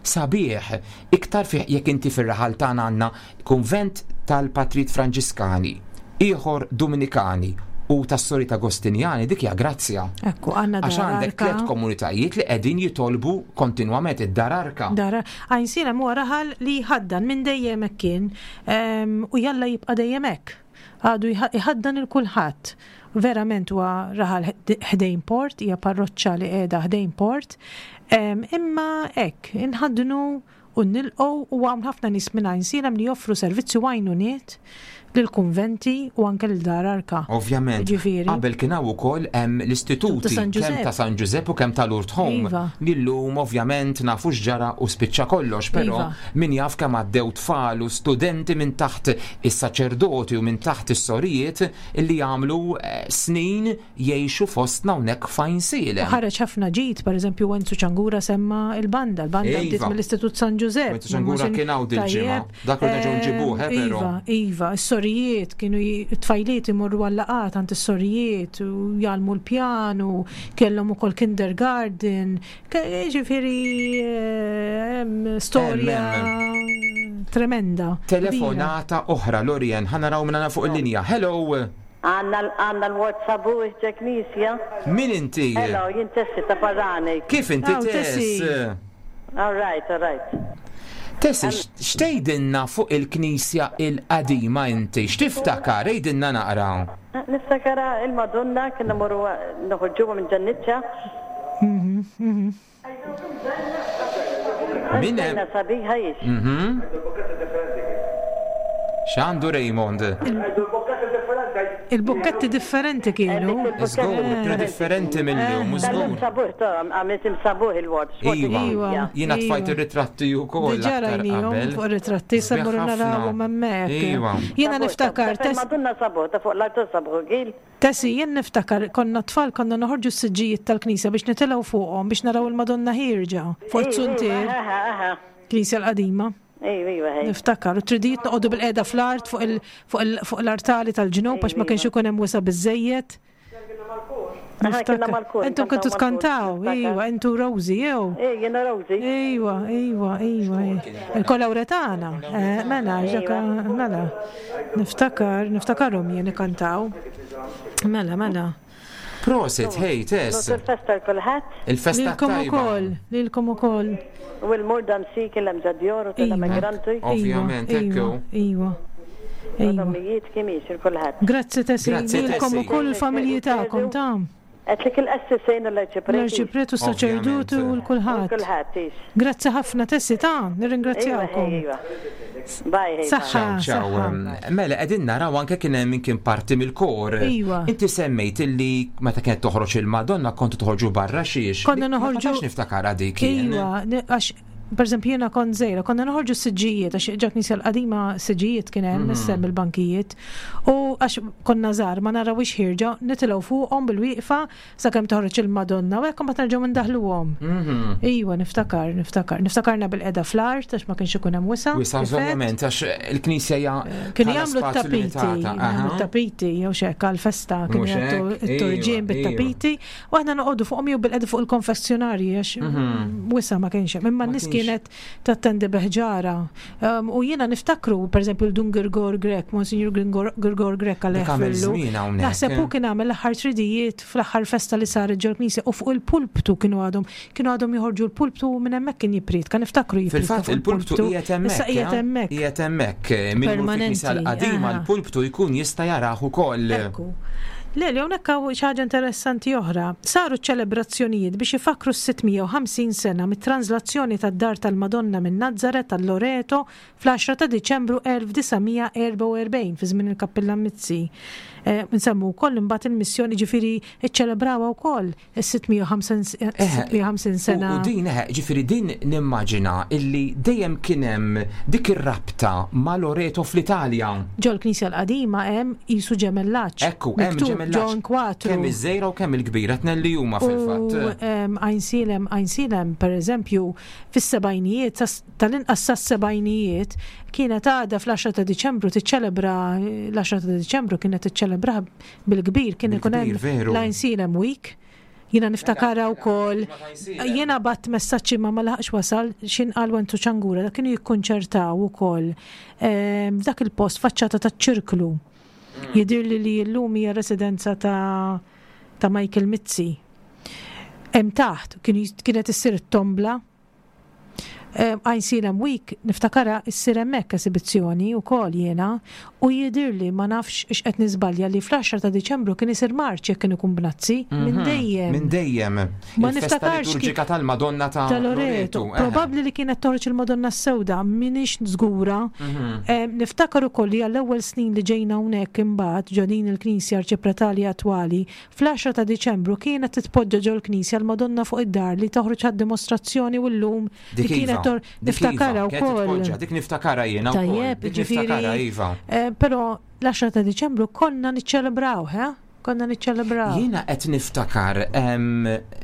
B: sabiħ, iktar fih jekk inti fir-raħal tagħna għandna kunvent tal-Patrijiet Franġiskani, ieħor Duminikani u tas-Sorijiet Agostinjani, dik hija grazzja.
C: Ekku, għandna
B: Għax għandek tliet komunitajiet li qegħdin jitolbu kontinwament id-Dar Arka.
C: Dar Għajnsielem huwa raħal li jħaddan minn dejjem hekk kien. U jalla jibqa' dejjem hekk. Għadu jħaddan il kulħadd. Verament huwa raħal ħdejn port, hija parroċċa li qiegħda ħdejn port. Imma hekk, inħaddnu u nilqgħu u hawn ħafna nies minn Għajnsielem li joffru servizzi u għajnuniet lill-kunventi u anke lil Dar Arka.
B: Ovvjament.
C: Ġifieri.
B: Qabel kien hawn ukoll hemm l-istituti kemm ta' San Ġużepp u kemm ta' Lourdes Home.
C: Iva.
B: Li llum ovvjament nafu x'ġara u spiċċa kollox, però
C: iva.
B: min jaf kemm għaddew tfal u studenti minn taħt is-saċerdoti u minn taħt is-sorijiet li għamlu eh, snin jgħixu fostna hawnhekk f'Għajnsielem.
C: U ħareġ ħafna ġid, pereżempju Wenzu Ċangura semma l-banda, l-banda bdiet
B: iva.
C: mill-Istitut San Ġużepp.
B: Wenzu Ċangura kien hawn dil-ġimgħa. Dak li nerġgħu nġibuh, eh, però.
C: Iva, iva, is-sorijiet kienu t-tfajliet imorru għal-laqgħat għand is-sorijiet u jgħallmu l-pjanu, kellhom ukoll kindergarten, Ġifieri hemm storja tremenda.
B: Telefonata oħra, Lorien, ħa naraw min għandna fuq il-linja. Hello!
G: Għanna għanna l-WhatsApp u ġe knisja.
B: Min inti?
G: Hello, jien Tessi ta' Parani.
B: Kif inti Tess?
G: All right, all right.
B: Tessi, x'tgħidilna fuq il-knisja il-qadima inti? X'tiftakar? Għidilna naqra.
G: Niftakara il-Madonna kien imorru noħorġuha minn ġan-niċċa.
B: Min hemm?
G: Sabiħa hix.
B: X'għandu Raymond?
C: Il-bukketti differenti kienu.
B: Żgur, kienu differenti mill-lum, żgur.
G: Sabuħ, għamilt imsabuħ il-ward.
B: Iva, jiena tfajt ir-ritratti wkoll.
C: Diġà rajnihom fuq ir-ritratti, se mmorru narawhom hemmhekk.
B: Iva.
C: Jiena niftakar.
G: Madonna sabuħ, ta' fuq l-artu sabuħ gil.
C: Tessi, jien niftakar konna tfal konna noħorġu s-siġġijiet tal-knisja biex nitilgħu fuqhom biex naraw il-Madonna ħierġa fuq it-zuntier. Knisja l-qadima.
G: Ejwa, iva, ħej.
C: Niftakar, u tridijiet noqogħdu bil-qiegħda fl-art fuq l-artali tal-ġnub għax ma kienx ikun hemm wisa' biżejjed.
G: Niftakar.
C: Intom kontu tkantaw, iva, intu Rosie, jew?
G: Eh, jiena Rosie.
C: Iva, iva, iva. Il-kolawretana, eh, mela, ġaka, mela. Niftakar, niftakarhom jien ikantaw. Mela, mela.
B: Prosit, hey, Tess.
G: Il-festa l-kulħadd.
B: Il-festa
C: Lilkom ukoll, lilkom ukoll.
G: U l-mur dan si kien hemm ġadjor u tal-immigranti.
B: Ovvjament, ekku.
C: Iva.
G: Iva. Kemm jisir kulħadd.
C: Grazzi Tessie, lilkom ukoll il-familji tagħkom ta'.
G: Għedtlek il-qessisejn u l-arċipreti.
C: L-arċipriet u s-saċerdoti u l-kulħadd.
G: Kulħadd, ix.
C: Grazzi ħafna Tessie ta' nirringrazzjawkom.
G: Iva, Bye.
C: Saħħa.
B: Ciao. Mela qegħdin naraw anke kien hemm min kien parti mill-kor.
C: Iva.
B: Inti semmejt illi meta kienet toħroġ il-Madonna kontu toħorġu barra xiex.
C: Konna noħorġu.
B: Ma niftakar dik.
C: Iva, għax per eżempju jiena kont żgħira, konna noħorġu s-siġġijiet, għax ġa knisja l-qadima siġġijiet kien hemm, issa hemm il-bankijiet. U għax konna żgħar ma narawhiex ħierġa, nitilgħu fuqhom bil-wieqfa sakemm toħroġ il-Madonna u hekk imbagħad nerġgħu indaħluhom. Iva, niftakar, niftakar. Niftakarna bil-qeda fl-art għax ma kienx ikun hemm wisa'.
B: Wisa' ovvjament għax il-knisja hija
C: Kienu jagħmlu t-tapiti, jagħmlu t-tapiti jew x'hekk għall-festa kienu jagħtu t-turġien bit-tapiti. U aħna noqogħdu fuqhom jew bilqegħda fuq il-konfessjonarji għax mhm. wisa ma kienx hemm. Imma n-nies kienet tattendi beħġara. Um, u jiena niftakru, pereżempju l-Dun Girgor Grek, Monsignor Girgor Grek għal Naħseb hu kien għamel l-aħħar tridijiet fl-aħħar festa li saret ġol knisja u fuq il-pulptu kienu għadhom kienu għadhom joħorġu l-pulptu u minn hemmhekk kien jippriet, kan niftakru
B: jippriet. Fil-fatt il-pulptu qiegħed hemmhekk.
C: Issa qiegħed eh? hemmhekk.
B: Qiegħed hemmhekk eh, minn l-qadima l-pulptu jkun jista' jarah ukoll.
C: Le, li hawnhekk hawn xi ħaġa interessanti oħra. Saru ċelebrazzjonijiet biex ifakkru s-650 sena mit-tranżlazzjoni tad-Dar tal-Madonna minn Nazaret għal Loreto fl-10 ta' Diċembru 1944 fi żmien il-Kappillan Mizzi. Eh, nsemmu wkoll imbagħad il-missjoni ġifieri ċċelebrawha wkoll is-650 sena.
B: U din, ġifieri din nimmaġina illi dejjem kien hemm dik ir-rabta ma' Loreto fl-Italja.
C: Ġol-knisja l-qadima hemm qisu ġemellaġġ.
B: Ekku, hemm ġemellaġġ.
C: Ġo inkwatru.
B: Kemm iż-żgħira u kemm il-kbira, tnejn li huma fil-fatt.
C: U Għajnsielem, Għajnsielem, pereżempju, fis-sebgħinijiet, tal-inqas sas-sebgħinijiet, kienet għadha fl-10 ta' Diċembru tiċċelebra, l-10 ta' Diċembru kienet tiċċelebraha Bil-kbir kien ikun hemm l-Għajnsielem Week. Jiena niftakarha wkoll. Jiena bat messaġġ imma ma laħaqx wasal x'in qal Wenzu Ċangura dak kienu jikkunċertaw ukoll ehm, f'dak il-post faċċata taċ-ċirklu. Mm. Jidhirli li llum hija residenza ta' ta' Michael Mizzi. Hemm taħt kienet issir it-tombla Għajnsielem Week niftakarha issir hemmhekk esibizzjoni wkoll jiena u jidhirli ma nafx x'qed niżbalja li fl-10 ta' Diċembru kien isir marċ jekk kien ikun b'Nazzi. Minn dejjem.
B: Minn dejjem.
C: Ma niftakarx.
B: Liturġika tal-Madonna ta'
C: Loreto. Probabbli li kienet toħroġ il-Madonna s-Sewda, m'iniex żgura. Niftakar ukoll li għall-ewwel snin li ġejna hawnhekk imbagħad ġo din il-knisja arċipretali attwali, Fl-għaxra ta' Diċembru kienet titpoġġa ġol-knisja l-Madonna fuq id-dar li toħroġ għad-dimostrazzjoni u llum li kienet tor
B: niftakarha wkoll. Dik niftakarha jiena wkoll.
C: Tajjeb, jiġifieri.
B: Iva.
C: Eh, però l-10 ta' Diċembru konna niċċelebraw, eh? Konna niċċelebraw.
B: Jiena qed niftakar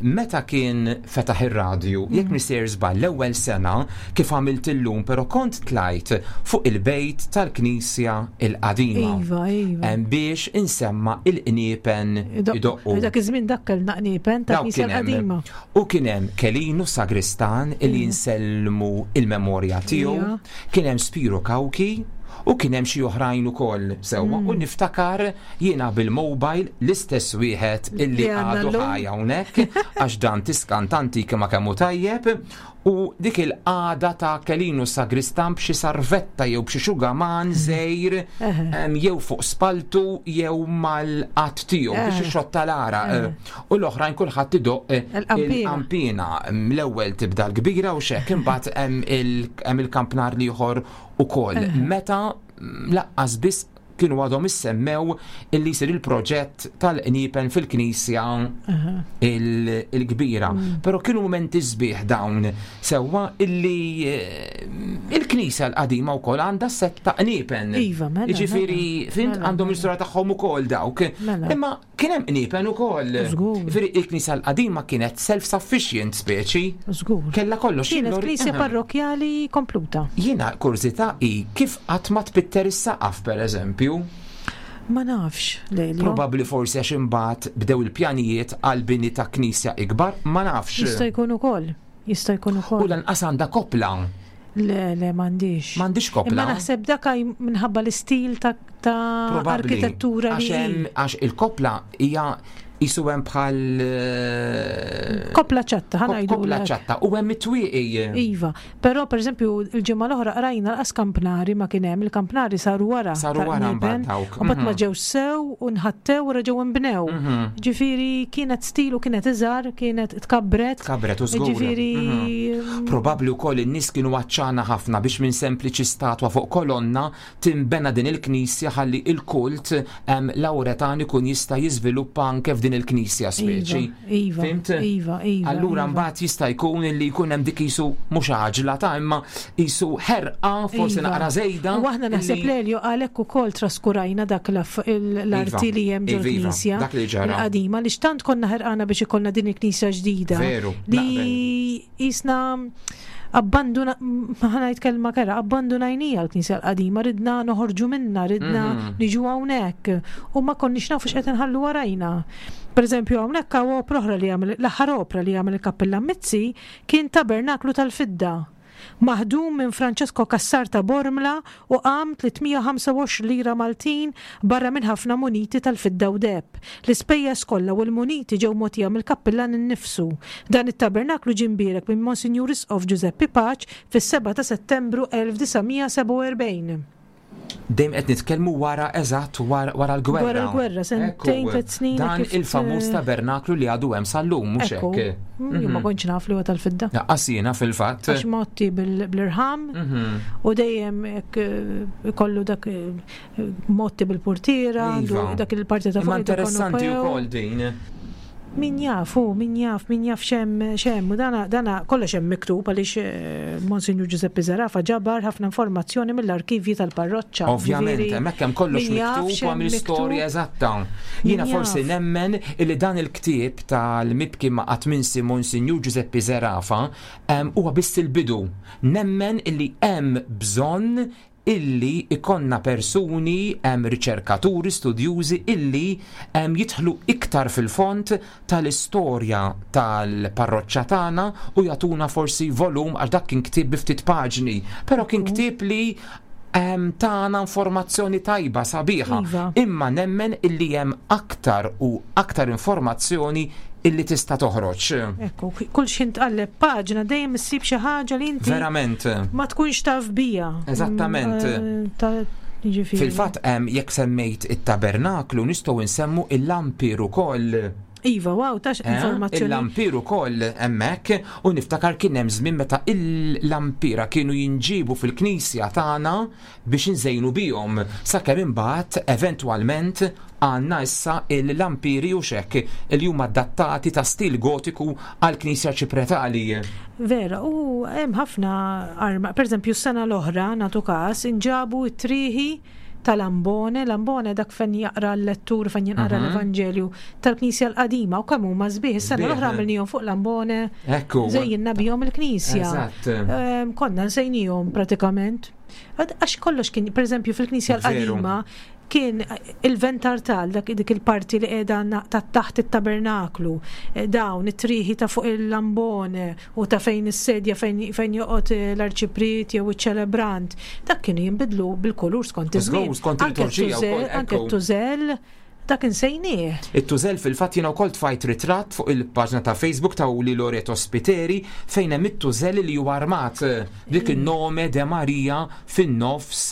B: meta kien fetaħ ir-radju, jekk mm. misejr żball l-ewwel sena kif għamilt illum, però kont tlajt fuq il-bejt tal-Knisja il-qadima.
C: Iva, iva.
B: Biex insemma il-qniepen idoqqu.
C: Dak iż-żmien dak kellna qniepen ta' knisja l-qadima.
B: U kien hemm Kelinu Sagristan li mm. nsellmu il-memorja tiegħu, iva. kien hemm Spiro Kawki, u kien hemm xi oħrajn ukoll sewwa mm. u niftakar jiena bil-mobile l-istess wieħed illi għadu ħaj hawnhekk għax dan tiskantanti kemm kemm hu tajjeb U dik il-qagħda ta' Kelinu Sagristan b'xi sarvetta jew b'xi xugaman żgħir jew fuq spaltu jew mal-qadd tiegħu biex ixott tal-għaraq. U l-oħrajn kulħadd idoqq il-qanpiena. L-ewwel tibda l-kbira u x'hekk imbagħad hemm il-kampnar l-ieħor ukoll. Meta laqqas biss. kienu għadhom issemmew illi jsir il-proġett tal-qniepen fil-knisja il-kbira. Mm. Però kienu mumenti sbieħ dawn sewwa illi eh, il-knisja l-qadima wkoll għandha set ta' qniepen.
C: Iva, mela.
B: Jiġifieri,
C: mela.
B: fint
C: mela,
B: għandhom
C: mela.
B: l-istorja tagħhom ukoll dawk.
C: Mela.
B: Imma kien hemm qniepen ukoll.
C: Żgur.
B: Jiġifieri il-knisja l-qadima kienet self-sufficient speċi.
C: Żgur.
B: Kella kollox.
C: Kienet
B: Lori-
C: knisja
B: Aha.
C: parrokjali kompluta.
B: Jiena kurżità hi kif qatt ma tpitter is-saqaf pereżempju.
C: Ma nafx, Lelio.
B: Probabbli forsi għax imbagħad bdew il-pjanijiet għal bini ta' knisja ikbar, ma nafx.
C: Jista' jkun ukoll. Jista' jkun
B: U
C: ukoll.
B: lanqas għandha kopla.
C: Le, le, m'għandix.
B: M'għandix kopla.
C: Imma naħseb dak minħabba l-istil ta' ta'
B: Probabbli.
C: arkitettura
B: Għax
C: li
B: hemm-
C: hi.
B: għax il-kopla hija jisu hemm bħal eh,
C: Kopla ċatta, ħa ngħidu
B: Kopla
C: lek.
B: ċatta u hemm it-twieqi.
C: Iva, però per eżempju il-ġimgħa l-oħra qrajna l-qas kampnari ma kien hemm, il-kampnari saru wara.
B: Saru
C: ta'
B: wara
C: qniepen,
B: mbagħad dawk,
C: U mbagħad ma
B: mhm.
C: ġew sew u nħattew u reġgħu nbnew. Ġifieri kienet stil u kienet iżgħar, kienet tkabbret.
B: Tkabbret u żgur.
C: Ġifieri
B: Probabbli wkoll in-nies kienu għaċċana ħafna biex minn sempliċi statwa fuq kolonna timbena din il-knisja ħalli il-kult em, Lawretan ikun jista' jiżviluppa anke f'din il-knisja speċi.
C: Iva,
B: Fimt?
C: iva, iva.
B: Allura
C: iva.
B: mbagħad jista' jkun li jkun hemm dik isu mhux għaġla ta' imma isu ħerqa forsi
C: Iva.
B: naqra żejda.
C: U aħna naħseb
B: illi-
C: Lelio għalhekk ukoll traskurajna dak l-aff- il- l-arti
B: Iva,
C: li hemm ġol
B: iva, iva,
C: knisja
B: dak li ġara.
C: il-qadima li xtant konna ħerqana biex ikollna din il-knisja ġdida.
B: Veru,
C: Li jisna abbanduna, ħanajt kelma kera, abbandunajnija l-knisja l-qadima, ridna noħorġu minna, ridna
B: Mhm.
C: niġu hawnhekk u ma konniex nafu x'qed inħallu warajna. Per eżempju, hawnhekk hawn opra oħra li għamel l-aħħar opra li għamel il-Kappilla Mizzi kien tabernaklu tal-fidda. Maħdum minn Francesco Cassar ta' Bormla u qam 325 lira Maltin barra minn ħafna muniti tal-fidda u deb. L-ispejjeż kollha u l-muniti ġew mogħtija mill-kappillan innifsu. Dan it-tabernaklu ġie mbierek minn Monsignur Isqof Giuseppe Paċ fis-7 ta' Settembru 1947.
B: Dejjem qed nitkellmu wara eżatt wara wara l-gwerra.
C: Wara l-gwerra, sentejn,
B: Ekku,
C: tliet snin,
B: Dan
C: kif,
B: il-famuż
C: eh,
B: tabernaklu li għadu hemm sal-lum mhux
C: Ekku,
B: hekk.
C: jien ma kontx naf li huwa tal-fidda.
B: Laqqas jiena fil-fatt.
C: Għax motti bil- bl-irħam
B: Mhm.
C: u dejjem hekk eh, ikollu dak eh, motti bil-portiera,
B: Iva.
C: għandu dak il-parti ta'
B: Imma
C: fuq
B: interessanti
C: il-konopew.
B: wkoll din.
C: Min jaf, u min jaf, min jaf xem, xem, u dana, dana kollox hemm miktub għaliex eh, Monsignor Giuseppe Zarafa ġabar ħafna informazzjoni mill-arkivji tal-parroċċa.
B: Ovvjament,
C: Ġifieri,
B: hemmhekk hemm kollox
C: min jaf
B: miktub u
C: x'hemm
B: hemm l-istorja
C: miktub.
B: eżatta. Jiena
C: Min
B: forsi
C: jaf.
B: nemmen illi dan il-ktieb tal-mibki ma' qatt minsi Monsinjur Giuseppe Zerafa em, huwa biss il-bidu. Nemmen illi hemm bżonn illi ikonna persuni, hemm riċerkaturi, studjużi illi em, jidħlu iktar fil-font tal-istorja tal-parroċċa tagħna u jagħtuna forsi volum għax dak kien ktieb bi ftit paġni, però kien ktieb li em, tagħna informazzjoni tajba sabiħa.
C: Iva.
B: Imma nemmen illi hemm aktar u aktar informazzjoni illi tista' toħroġ.
C: Ekku, kull xi tqalleb paġna dejjem issib xi ħaġa li inti
B: Verament.
C: ma tkunx taf bija.
B: Eżattament.
C: Mm, eh, ta' jiġifieri.
B: Fil-fatt hemm jekk semmejt it-tabernaklu nistgħu nsemmu il-lampir ukoll.
C: Iva, wow, tax
B: Eh?
C: informazzjoni.
B: Il-lampir ukoll hemmhekk u niftakar kien hemm żmien meta il-lampira kienu jinġibu fil-knisja tagħna biex inżejnu bihom sakemm imbagħad eventwalment għandna issa il-lampiri u xekk li huma adattati ta' stil gotiku għall-knisja ċipretali.
C: Vera, u hemm ħafna arma. Per eżempju, s-sena l-oħra, natu każ, inġabu t-triħi tal-ambone, l-ambone dak fejn jaqra l-lettur, fejn jinqara l-Evanġelju tal-Knisja l-qadima u kemm huma sbieħ. Is-sena
B: Sbieħ,
C: l-oħra
B: eh.
C: għamilnihom fuq l-ambone,
B: Ekku.
C: żejjinna bihom il-Knisja.
B: Eżatt.
C: Ehm, Konna nsejnihom pratikament. Għad- Għax kollox kien, per eżempju, fil-Knisja
B: Veru.
C: l-qadima kien il-ventartal, dak dik il-parti li qiegħda na- ta' taħt it-tabernaklu, eh, dawn it-triħi ta' fuq il-lambone u ta' fejn is-sedja fejn, fejn joqgħod eh, l-arċipriet jew iċ-ċelebrant, dak kienu jinbidlu bil-kulur skont
B: Żgur,
C: iż-żmien.
B: skont
C: Anke
B: il-liturġija
C: t-tużell-
B: wkoll,
C: Anke
B: ekku.
C: t-tużell, Dak insejnieh.
B: It-tużell fil-fatt jiena wkoll tfajt ritratt fuq il-paġna ta' Facebook ta' Uli Loreto Spiteri fejn hemm it-tużell li huwa armat b'dik in-nome de Maria fin-nofs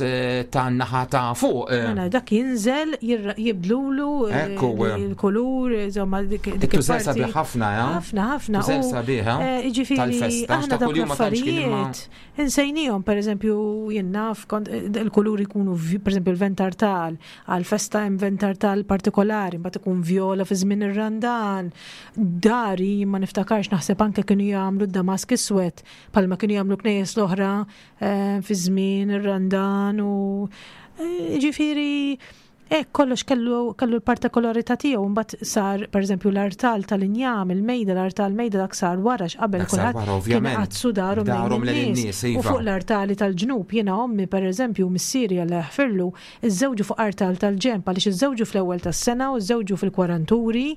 B: tan-naħa ta' fuq.
C: Mela dak jinżel jibdlulu il-kulur, insomma dik
B: Il-tużell sabiħ ħafna, eh?
C: Ħafna, ħafna.
B: Tużell sabiħ, eh?
C: Jiġifieri aħna dawk l-affarijiet insejniehom, pereżempju jien naf kont il-kuluri jkunu pereżempju l-ventartal Għall-festa hemm ventartal partikolari, mbagħad ikun vjola fi żmien ir-Randan. Dari ma niftakarx naħseb anke kienu jagħmlu d-damask iswed bħalma kienu jagħmlu knejjes l-oħra eh, fi żmien ir-Randan u eh, ġifieri hekk kollox kellu kellu l-partikolarità tiegħu mbagħad sar pereżempju l-artal tal-injam, il-mejda, l-artal mejda dak sar wara x'qabel kulħadd kien iqaddsu darhom lejn in-nies. U fuq l-artali tal-ġnub jiena ommi pereżempju missieri Alla jaħfirlu Iżżewġu fuq artal tal-ġenb għaliex iżżewġu fl-ewwel tas-sena u żżewġu fil-kwaranturi,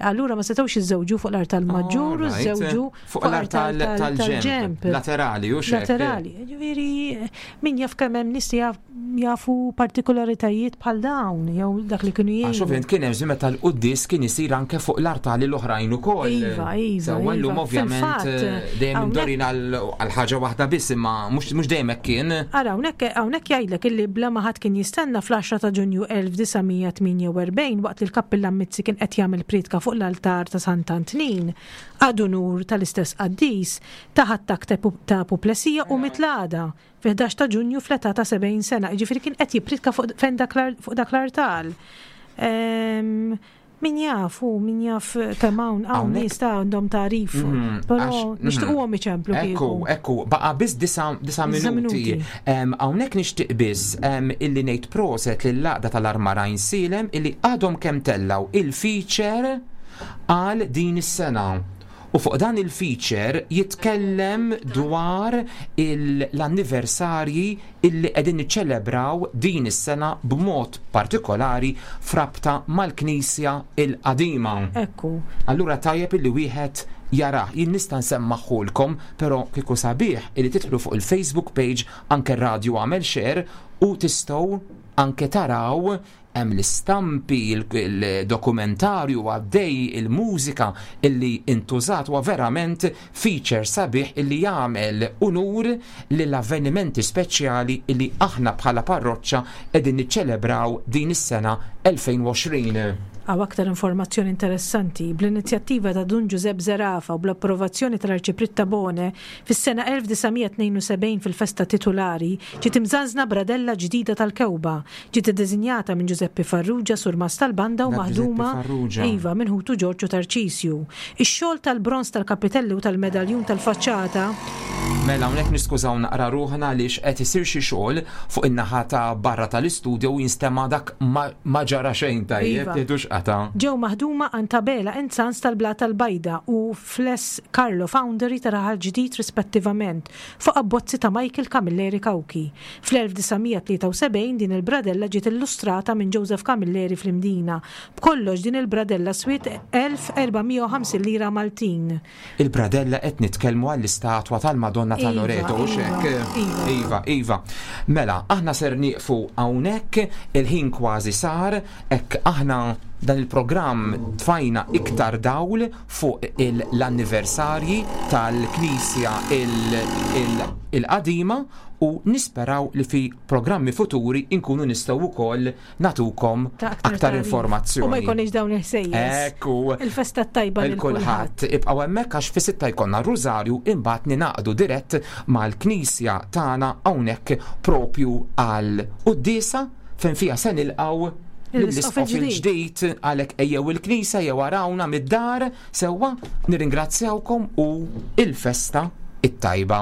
C: allura ma setgħux jiżżewġu fuq l-artal maġġur u żżewġu
B: fuq l-artal tal-ġenb. Laterali, u
C: xek. Laterali. Ġifieri min jaf kemm hemm nies li jafu partikolaritajiet bħal dawn jew dak li kienu
B: jgħidu. Għax ovvjament kien hemm żmien meta l-quddies kien isir anke fuq l-artali l-oħrajn ukoll.
C: Iva, iva.
B: Sewwa llum iva. ovvjament eh, dejjem imdorin għal ħaġa waħda biss imma mhux dejjem hekk kien.
C: Ara, hawnhekk hawnhekk jgħidlek illi bla ma ħadd kien jistenna fl-10 ta' Ġunju 1948 waqt li l-Kappillan Mizzi kien qed jagħmel prietka fuq l-altar ta' Sant'Antnin, ad unur tal-istess qaddis, tah attakk ta' apuplesija u miet l-għada, fi-11 ta' Ġunju fl-età ta' 70 sena, jiġifieri kien qed jipprietka fuq fejn dak fuq dak l-artal. Ehm, Min jaf, u min jaf kemm hawn hawn nies ta' għandhom tagħrif, mhm, però mhm. nixtiequhom iċemplu
B: Ekku, ekku, baqa' biss disa' minuti. Hawnhekk nixtieq biss illi ngħid proset lill-għaqda tal-Armar Għajnsielem illi għadhom kemm tellgħu il-feature għal din is-sena. U fuq dan il-feature jitkellem dwar l-anniversarji illi qegħdin niċċelebraw din is-sena b'mod partikolari f'rabta mal-Knisja l-Qadima.
C: Ekku.
B: Allura tajjeb illi wieħed jarah. Jien nista' nsemmagħhulkom, però kieku sabiħ illi tidħlu fuq il-Facebook page anke r-radju għamel share u tistgħu anke taraw Hemm l-istampi, il-dokumentarju għaddej, il-mużika illi intużat huwa verament feature sabiħ illi jagħmel unur lill-avvenimenti speċjali illi aħna bħala parroċċa qegħdin niċċelebraw din is-sena 2020.
C: Hawn aktar informazzjoni interessanti. Bl-inizjattiva ta' Dun Ġużepp Zerafa u bl-approvazzjoni tal-Arċipriet Tabone, Fis-sena 1972 fil-festa titulari, ġiet imżanżna bradella ġdida tal-kewba. Ġiet iddisinjata minn Ġużeppi Farrugia, surmast tal-banda u maħduma, iva, minn ħutu Ġorġ u Tarċisju. Ix-xogħol tal-bronż tal-kapitelli u tal-medaljun tal-faċċata,
B: Mela hawnhekk niskużaw naqra ruħna għaliex qed isir xi xogħol fuq in-naħa ta' barra tal-istudio u jinstema' dak ma ġara xejn tajjeb, tieħdux qatgħa.
C: Ġew maħduma għand Abela and Sons tal-Blata l-Bajda u Fles Carlo Foundry ta' Raħal Ġdid rispettivament, fuq abbozzi ta' Michael Camilleri Cauchi. Fl-1973 din il-bradella ġiet illustrata minn Joseph Camilleri fl-Imdina. B'kollox din il-bradella swiet 1450 lira Maltin.
B: Il-bradella qed nitkellmu għall-istatwa tal-Madonna ta' Loreto, hux hekk?
C: Iva,
B: iva. Iva. Mela, aħna ser nieqfu hawnhekk, il-ħin kważi sar, hekk aħna dan il-programm tfajna iktar dawl fuq l-anniversarji tal-Knisja il-qadima u nisperaw li fi programmi futuri nkunu nistgħu wkoll nagħtukom aktar informazzjoni.
C: U ma jkollniex dawn il-ħsejjes.
B: Ekku.
C: Il-festa tajba
B: lil kulħadd. Ibqgħu hemmhekk għax fi sitta jkollna r-Rużarju imbagħad ningħaqdu dirett mal-Knisja tagħna hawnhekk propju għal quddiesa fejn fiha se nilqgħu lill-Isqof il-ġdid għalhekk ejjew il-knisja jew arawna mid-dar sewwa nirringrazzjawkom u il-festa it-tajba.